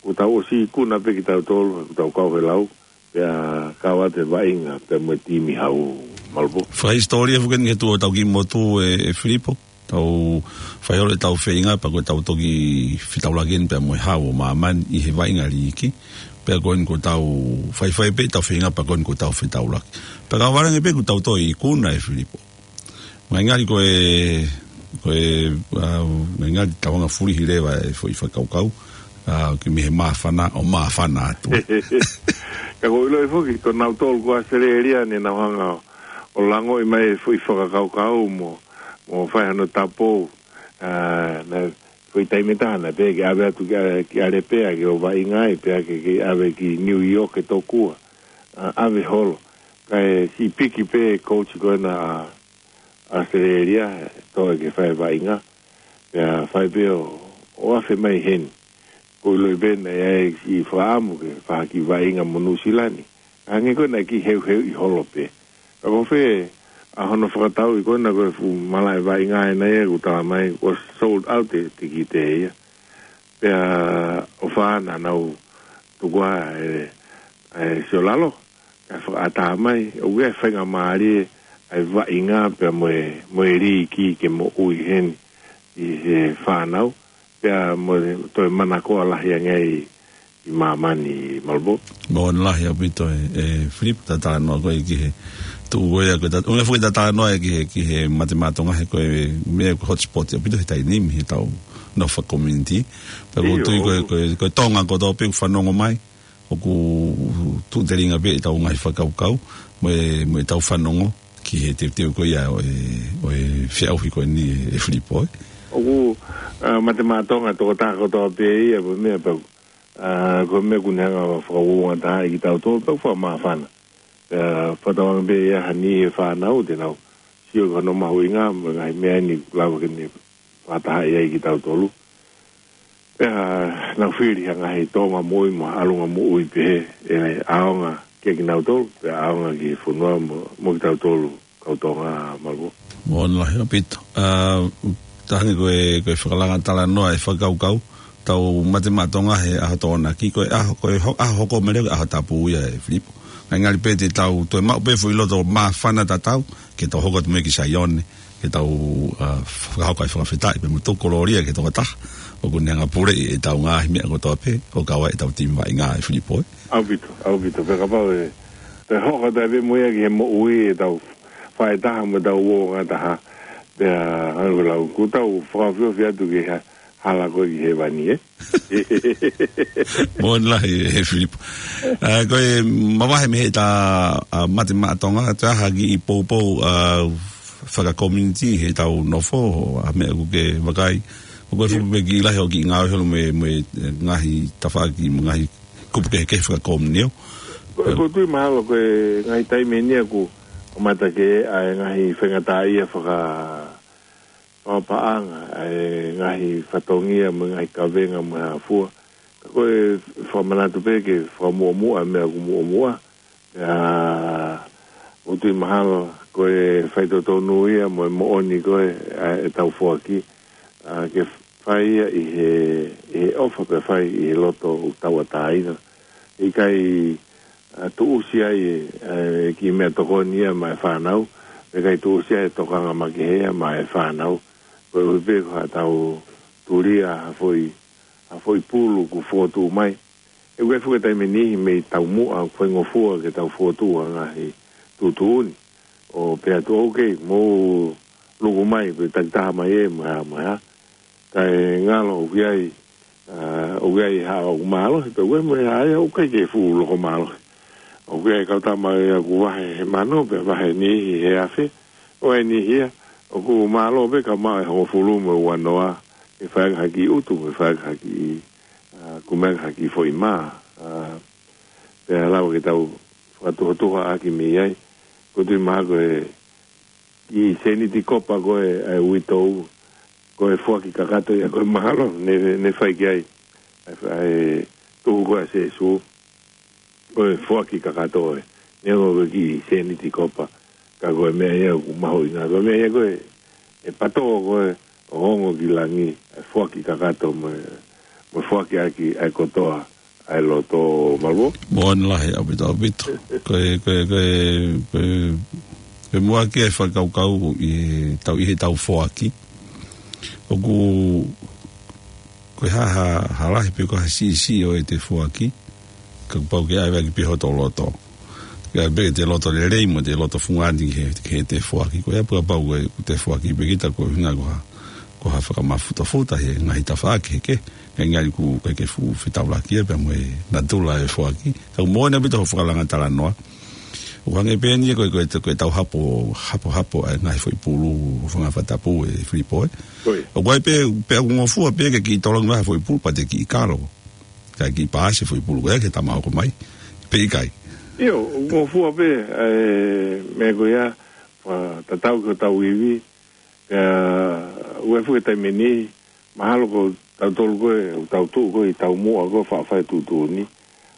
Kuo tau ʻosi ikuna pē kitautolu, kuo tau kau he lau, pea kau atu e vaʻinga, pea mo e timi hau, Malvo. Fakahisitōlia foki eni he tuʻu ʻetau kiʻi motu ē, ʻe Filipo. Tau fai holo ʻetau feinga, pea ko ʻetau toki fetaulaki eni pea mo e hau ʻo māmani ʻi he vaʻinga liiki. Pea ko eni kuo tau faifai pē ʻetau feinga, pea ko eni kuo tau fetaulaki. Pea ka ʻoku vale ange pē kuo tau toe ikuna, ʻe Filipo. Ngali ko e, ko e, ʻa, ngali tau hanga fulihi leva e foʻi fakakaukau, ʻa, ke mei he māfana ʻo māfana atu. Ka ʻoku ou ʻilo foki, ko nautolu ko ʻAositelēlia naʻa nau hanga ʻo langoʻi mai e foʻi fakakaukau mo, mo fai hano tapu, ʻa, naʻe foʻi taimi ʻe taha naʻe pehē ke ʻave atu ki ʻa, ki ʻAlepea ke ō vaʻinga ai, pea ke, ke ʻave ki New York ke tokua, ʻa, ʻave holo. Kae siʻi piki pē coach ko ena ʻa ʻAositelēlia, toe ke fai vaʻinga. Pea fai pē ʻo, ʻo afe mai heni. ʻOku ou ʻilo pē naʻe ʻi ai e kiʻi fakaʻamu ke fai ha kiʻi vaʻinga mo Nuʻusila ni. Hangē ko ena kiʻi heuheuʻi holo pē. Ka ko fē ʻa hono fakatauʻi ko ena ko e fuʻu malaʻe vaʻinga ena ia ʻoku tala mai ʻoku sold out e tikite ia. Pea ʻofa naʻa nau tuku ʻa e, e siolalo, kae fakaʻatā mai, ʻoku ʻi ai e faingamālie ʻa e vaʻinga pea mo e, mo e liiki ke moʻui heni ʻi he fānau, pea mo e toe manakoa lahi ange ai ʻi māmani, Malvo. Moʻoni lahi ʻaupito ē, ʻe Filipo, tatanoa ko ē ki he tuʻu ko ia, ko e tat-, ʻuhinga foki tatanoa ē ki he, ki he Mate Maʻa Tonga he ko e meʻa ko e hotspot ʻaupito he taimi ni, heʻetau nofo faka-community. Pea ʻoku ou ʻIo. tui ko e, ko e, ko e Tonga kotoa pē ʻoku fanongo mai, ʻoku tuʻu telinga pē ʻetau ngaahi fakakaukau, mo e, mo ʻetau fanongo, ki he teuteu ko ia ʻo e, ʻo e feʻauhi ko eni ē, ʻe Filipo, ē. ʻOku, ʻa, Mate Maʻa Tonga tokotaha kotoa pē ia, pea meʻa pē, ʻa, ko e meʻa ʻoku ne hanga ʻo fakauouongatahaʻi kitautolu, pea fakamāfana. Pea fakatauange pē ia ha niʻihi e fānau te nau sio ki hono mahuʻinga, mo e ngaahi meʻa ni ʻoku lava ke ne fakatahaʻi ai kitautolu. Pea nau fili ha ngaahi tōʻonga moʻui mo ha ʻalunga moʻui pehē, ʻe ʻaonga kia kinautolu, pea ʻaonga ki he fonua mo, mo kitautolu, kau Tonga, Maluʻo. Moʻoni lahi ʻaupito. ʻA, tahangi ko e, ko e fakalanga talanoa e fakakaukau, tau Mate Maʻa Tonga he ʻaho Tokonaki, ko e ʻaho, ko e ho-, ʻaho hoko mai leva ʻaho Tapu ia ʻe Filipo. Ngali pē te tau toe maʻu pē foʻi loto māfana tatau, ke tau hoko atu mo ia ki Saione, ke tau, ʻa, fakahoko ai fakafetaʻi pea mo tuku kolōlia ki he tokotaha ʻoku ne hanga ʻo puleʻi ʻetau ngaahi meʻa kotoa pē, ʻo kau ai ʻetau timi vaʻinga ʻe Filipo, ē. ʻAupito, ʻaupito, pea kapau ʻe, pea hoko atu ai pē mo ia ki he moʻui ʻetau faʻē taha mo ʻetau uouongataha, pea hangē ko e lau, kuo tau fakaofiofi atu ki he ha-, hala ko ē ki hēvani, ē. Moʻoni lahi, ʻe Filipo. ʻA, ko e mavahe mei heʻeta, ʻa, Mate Maʻa Tonga, toe ʻi ai ha kiʻi poupou, ʻa, fakakomiunitī heʻetau nofo, ʻa, meʻa ʻoku ke vakai. ʻOku ʻi ai foki pē kiʻi lahi ʻo e kiʻi ngāue holo mo e, mo e, ʻe, ngaahi tafaʻaki, mo e ngaahi kupu kehekehe fakakomiunitī. Ko, ʻoku ou tui mahalo ko e ngaahi taimi eni ʻoku kamata ke ʻi ai e ngaahi faingataʻaʻia faka- fakapaʻanga, ʻa e ngaahi fatongia mo e ngaahi kavenga mo e hā fua. Ka ko e fakamanatu pē ke fakamuʻomuʻa e meʻa ʻoku muʻomuʻa. Pea ʻoku ou tui mahalo ko e faitotonu ia mo e moʻoni ko ē, ʻa, ʻetau foaki, ʻa, ke fai ia ʻi he, ʻi he ʻofa pea fai ʻi he loto ʻoku tauʻatāina. ʻIkai, ʻa, tuʻusi ai e, e kiʻi meʻatokoni ia maʻa e fānau, ʻikai tuʻusi ai e tokanga makehe ia maʻa e fānau. Koeʻuhi pē ko haʻatau tulia ha foʻi, ha foʻi pulu ʻoku fokotuʻu mai. ʻOku ʻi ai foki e taimi ʻe niʻihi mei taumuʻa ʻoku faingofua ke tau fokotuʻu ha ngaahi tuʻutuʻuni. ʻO pehē atu, ok, mou luku mai, pe takitaha mai ē, mo e hā, mo e hā. Kae ngalo ʻoku ʻi ai, ʻa, ʻoku ʻi ai ha ʻoku mālohi, pea ʻoku ʻi ai mo e hā ia ʻoku ʻikai ke fuʻu loko mālohi. ʻOku ʻi ai e kau tama ia ʻoku vahe he mano, pea vahe niʻihi he afe, ʻo e niʻihi ia ʻoku mālō pē ka maʻu e hongofulu mo e uanoa, ʻe fai ange ha kiʻi utu, ʻe fai ange ha kiʻi, ʻa, kumi ange ha kiʻi foʻi mā, ʻa, pea lava ke tau fakatuhatuhaʻaki mei ai. ʻOku ou tui mahalo ko e kiʻi sēniti kopa ko ē ʻa e uitou, ko e foaki kakato ia ko ē mahalo ne, ne fai ki ai ʻa e, ʻa e tuhu ko ē ʻa Sēsū, ko e foaki kakato ē. Neongo ko e kiʻi sēniti kopa, ka ko e meʻa ia ʻoku mahuʻinga. Ko e meʻa ia ko ē, ʻe patō ko ē ʻo ongo ki langi, ʻa e foaki kakato mo e, mo e foaki ʻaki ʻa e kotoa ʻa e loto, Maluʻo. Moʻoni lahi ʻaupito, ʻaupito. Ko e, ko e, ko e, ko e, ko e muʻaki e fakakaukau ʻi heʻetau, ʻi heʻetau foaki. ʻOku, ko e hā, hā, hā lahi pe ko e hā siʻisiʻi ʻo ʻete foaki, ka kuo pau ke ʻave ʻaki pē hoto loto. Ke ʻave pē ʻete loto lelei mo ʻete loto fungani ki he, ki heʻete foaki. Ko ia pea kapau ko ʻete foaki pē kita ko e ʻuhinga ko ha, ko ha fakamafuta he ngaahi tafaʻaki kehekehe. He ngali ʻoku ʻikai ke fuʻu fetaulaki ia pea mo e natula e foaki. Ka ʻoku moʻoni ʻaupito hoʻo fakalanga talanoa. ʻOku hangē pē eni ia ko e, ko e, ko ʻetau hapo, hapo, hapo ʻa e ngaahi foʻi pulu, fanga fakatapu ʻe Filipo, ē. ʻOku ʻi ai pē, pea ʻoku ngofua pē ke kiʻi tolongi mai ha foʻi pulu, pea te kiʻi kalo. Kae kiʻi paasi e foʻi pulu ko ia ki he tama hoko mai. Pe ʻikai. ʻIo, ʻoku ngofua pē, ʻa e meʻa ko ia, ʻa, tatau ki hotau ivi, pea ʻoku ʻi ai foki e taimi ʻe niʻihi, mahalo ko tautolu ko ē, ʻoku tau tuʻu ko ē ʻi taumuʻa ko ē faʻa fai e tuʻutuʻuni.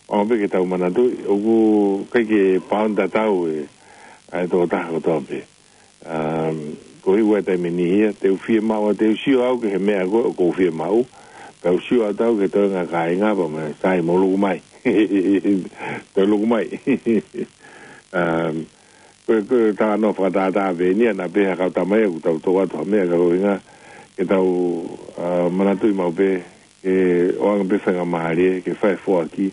ʻOua pē ke tau manatuʻi, ʻoku ʻikai ke paoni tatau e, ʻa e tokotaha kotoa pē. Um, koeʻuhi ʻoku ʻi ai e taimi ʻe niʻihi ia, te u fiemaʻu, te u sio au ki he meʻa ko ē ʻoku ou fiemaʻu, pea u sio atu au ki he toenga kāinga pea mo e sai mo luku mai. Toe luku mai. Um, ko e, ko e talanoa fakatātā pē eni ia, naʻa pehē ʻe ha kau tama ia ʻoku tau toʻo atu ha meʻa ka ko e ʻuhinga ke tau, ʻa, manatuʻi maʻu pē, ke ʻoange pē faingamālie, ke fai e foaki,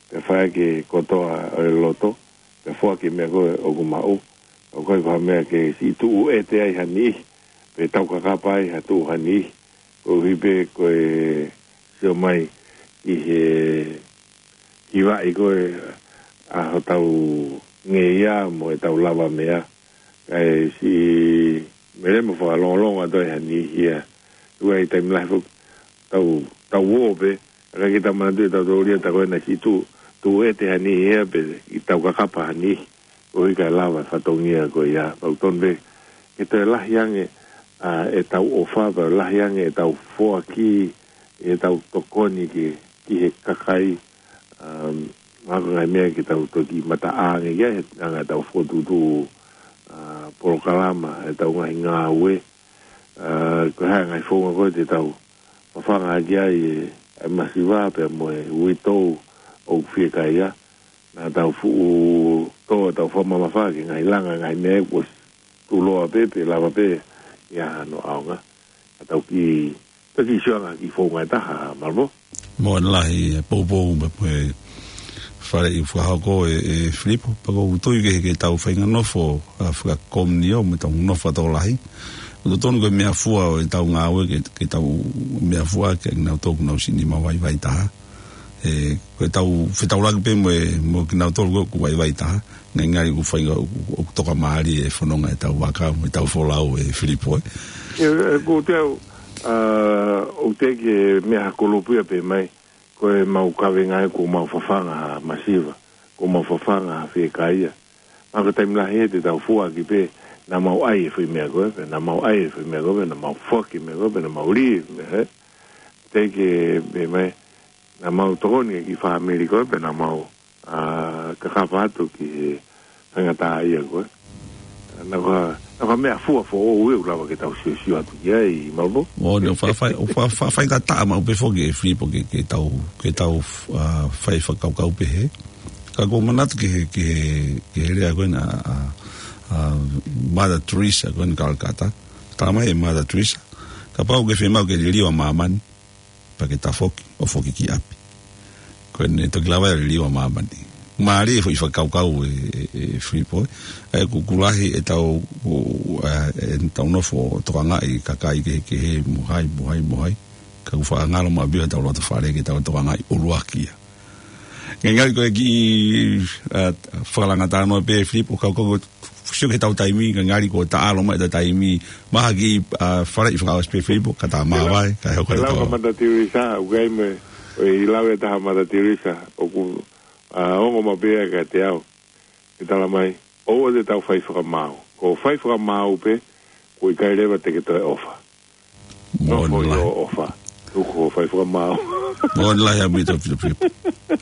ke fai ʻaki e kotoa ʻo e loto, ke foaki e meʻa ko ē ʻoku maʻu. ʻOku ʻikai ko ha meʻa ke siʻi tuʻu ʻete ai ha niʻihi, pe taukakapa ai ha tuʻu ha niʻihi, koeʻuhi pē ko e sio mai ʻi he hivaʻi ko ē ʻa hotau ngeia mo ʻetau lavameʻa, kae siʻi melemo fakalongolongo atu ai ha niʻihi ia Tuai taimi lahi foki, tau, tau ō pē, ʻikai ke tau manatuʻi ʻe tautolu ia, tā ko ena ki tu, tu e te hani ia pē, ʻi tau kakapa hani, ʻo ʻikai lava e fatongia ko ia, pau tonu pē, ke toe lahi ange, ʻa, ʻetau ʻofa, pea lahi ange ʻetau foaki, ʻetau tokoni ki, ki he kakai, um, ngako ngaahi meʻa ke tau toki mataʻanga ange ia, he anga ʻetau fokotuʻutuʻu, ʻa, polokalama, ʻetau ngaahi ngāue, ʻa, ko e hā e ngaahi founga ko ē te tau fafanga hake ai e, e masiva pea mo e uitou ʻoku fiekaia. Naʻa tau fuʻu tō, tau fakamamafa ki he ngaahi langa, ngaahi meʻa kuo tuloa pē, pe lava pē ia hano ʻaonga. Ka tau kiʻi, tau kiʻi sio ange ki he founga ʻe taha, Malvo. Moʻoni lahi e poupou mo e faleʻi fakahoko ʻe, ʻe Filipo, pea ʻoku ou tui ke, ke tau faʻahinga nofo, ʻa, fakakomiunio mo ʻetau nofo tokolahi. ʻOku totonu ko e meʻafua ʻo ʻetau ngāue ke, ke tau meʻafua ke nau tō ʻoku nau siʻi nima vaivai taha. ʻE, ko ʻetau fetaulaki pē mo e, mo kinautolu ko ē ʻoku vaivai taha. Ngalingali ʻoku fai, ʻoku, ʻoku tokamālie e fononga ʻetau vaka mo ʻetau folau ʻe Filipo, ē. ʻE, ʻe, ko te au, ʻa, ʻoku teʻeki ke meʻa ha kulupu ia pē mai, ko ʻemau kavenga ē kuo mau fafanga ha masiva, kuo mau fafanga ha fiekaia. Ka ko e taimi lahi ē te tau foaki pē, naʻa mau ʻai e foʻi meʻa ko ē, pea naʻa mau ʻai e foʻi meʻa ko ē, pea naʻa mau foaki e meʻa ko ē, pea naʻa mau lī e meʻa, ē. Teʻeki ke pē mai, naʻa mau tokoni ki he fāmili ko ē, pea naʻa mau, ʻa, kakapa atu ki he faingataʻaʻia ko ē. Naʻa ko ha, naʻa ko ha meʻafua foʻou ē ʻoku lava ke tau siosio atu ki ai, Malvo. ʻO, naʻa fa-, fa-, fa-, fa-, faingataʻa maʻu pē foki ʻe Filipo ke, ke tau, ke tau, ʻa, fai fakakaukau pehē. Ka ʻoku ou manatu ki he, ki he, ki he lea ko ena ʻa, ʻa, ʻa Mother Teresa ko ena Calcutta. Talamai ʻe Mother Teresa, kapau ʻoku ke fiemaʻu ke liliu ʻa māmani, pea ke tafoki ʻo foki ki ʻapi. Ko ʻene toki lava ia ʻo liliu ʻa māmani. Mālie e foʻi fakakaukau ʻe, ʻe, ʻe Filipo, ē. ʻA ia ʻoku, ʻoku lahi ʻetau, ʻo, ʻa, ʻetau nofo ʻo tokangaʻi kakai kehekehe mo hai, mo hai, mo hai. Ka ʻoku faʻa ngalo maʻu pē ia ʻetau loto fale ke tau tokangaʻi ʻuluaki ia. Ngalingali ko e kiʻi, ʻa, fakalanga talanoa pē Filipo, ka ʻoku, ʻoku sio ki heʻetau taimi, ngalingali kuo taʻalo mai ʻetau taimi, mahalo kiʻi, ʻa, faleʻi fakaʻosi pē Filipo, ka ta māvae, kae hoko ʻetau. Lau ka Mother Teresa, ʻoku ʻi ai mo e, ʻoku ʻi ai e lau ʻe taha ʻa Mother Teresa, ʻoku, ʻa, ongo maʻu pē ia kiate au. ʻE talamai, ʻoua te tau fai fakamaau. Ko e fai fakamaau pē, ʻoku ʻikai leva te ke toe ʻofa. Moʻoni lahi. Nofo ʻi hoʻo ʻofa. Tuku hoʻo fai fakamaau. Moʻoni lahi ʻaupito Filipo.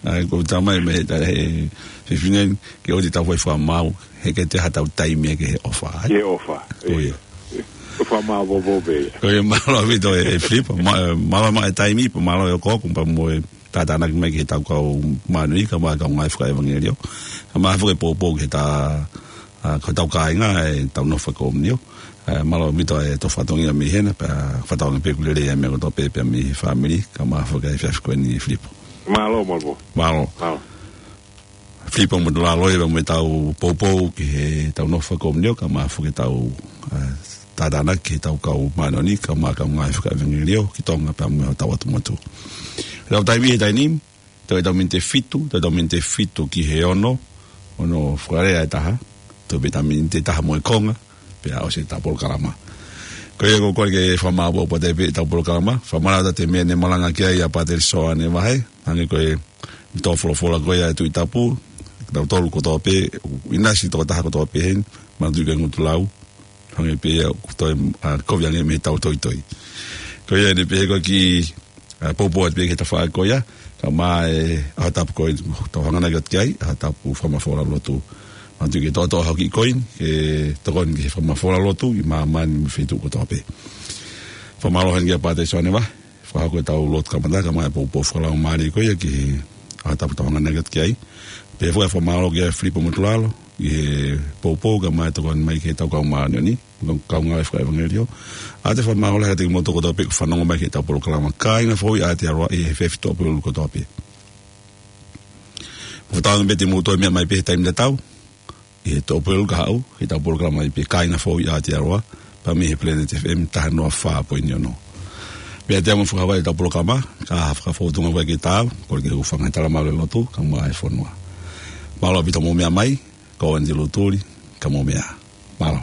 ʻA ia ʻoku talamai mei he, he fefine ni, ke ʻoua te tau fai fakamaau, he ʻikai toe ʻi ai haʻatau taimi ia ki he ʻofa, ē? Ki he ʻofa. Ko ia. Ko e fakamaau popo pē ia. Ko ia, mālō ʻaupito ē, ʻe Filipo. Mā-, mālō maʻu e taimi, pea mālō e ʻofa ʻoku pea mo e tātānaki mai ki heʻetau kau māʻoniʻoni, kae ʻumaʻā e kau ngāue fakaʻevangeliō. Kae ʻumaʻā foki e poupou ki heʻetau, ʻa, ko hotau kāinga, ʻetau nofo fakakomiunio. ʻA, mālō ʻaupito e tau fatongia mei hena, pea fakatauange pē ʻoku lelei e meʻa kotoa pē, pea mei he fāmili, kae ʻumaʻā foki e efiafi ko eni Filipo. Mālō, Malvo. Mālō. Mālō. Filipo Motulalo ia mo ʻetau poupou ki heʻetau nofo fakakomiunio, kae ʻumaʻā foki ʻetau, ʻa, tātānaki ki heʻetau kau māʻoniʻoni, kae ʻumaʻā e kau ngāue fakaʻevangeliō, ki Tonga pea mo hotau ʻotu motu. Tau taimi he taimi ni, toe ʻetau miniti ʻe fitu, toe ʻetau miniti ʻe fitu ki he ono, ono fakalea ʻe taha, toe pē ʻetau miniti ʻe taha mo e konga, pea ʻosi ʻetau polokalama. Ko ia ʻoku ou kole ke fakamālō atu pē ʻetau polokalama, fakamālō atu ʻa e meʻa ne malanga ki ai ʻa Pātele Soane Vahe, hangē ko e tō folofola ko ia ʻa e Tuʻi Tapu, kitautolu kotoa pē, ʻinasi tokotaha kotoa pē heni, manatuʻi ko e ngutu lau, hangē pē ia ʻoku toe, ʻa, kovi ange mei heʻetau toitoi. Ko ia ʻeni pē ko e kiʻi, ʻa, poupou atu pē ki he tafaʻaki ko ia, kae ʻumaʻā e ʻaho tapu ko ē, tau hanganaki atu ki ai, ʻaho tapu fakamafola lotu. Manatuʻi ke toʻotoʻo hoʻo kiʻi koini, ke tokoni ki he fakamafola lotu, ʻi māmani mo e feituʻu kotoa pē. Fakamālō heni kia Pātele Soane Vahe, fakahoko ʻetau lotu kamata, kae ʻumaʻā e poupou fakalaumālie ko ia ki he ʻaho tapu tau hanganaki atu ki ai. Pea foki e fakamālō kia Filipo Motulalo, ʻi he poupou kae ʻumaʻā e tokoni mai ki heʻetau kau māʻoniʻoni, kau ngāue fakaʻevangeliō. ʻOatu e fakamālō lahi kiate kimoutolu kotoa pē ʻoku fanongo mai ki heʻetau polokalama Kāinga Foʻou ʻi Aotearoa ʻi he efiafi Tuʻapulelulu kotoa pē. Fakatauange pē te mou toe meʻa mai pē he taimi tatau, ʻi he Tuʻapulelulu kahaʻu, heʻetau polokalama ia pē Kāinga Foʻou ʻi Aotearoa, pea mei he Planet F M taha noa fā poini ono. Pea te amo fakahavai ʻetau polokalama, ka ha fakafōtunga ʻoku ʻikai ke taau, kole ke hūfanga he talamalu ʻo e lotu, kae ʻumaʻā e fonua. Mālō ʻaupito hoʻomou meʻa mai, ko Andy Lutuli, ka mou meʻa. Mālō.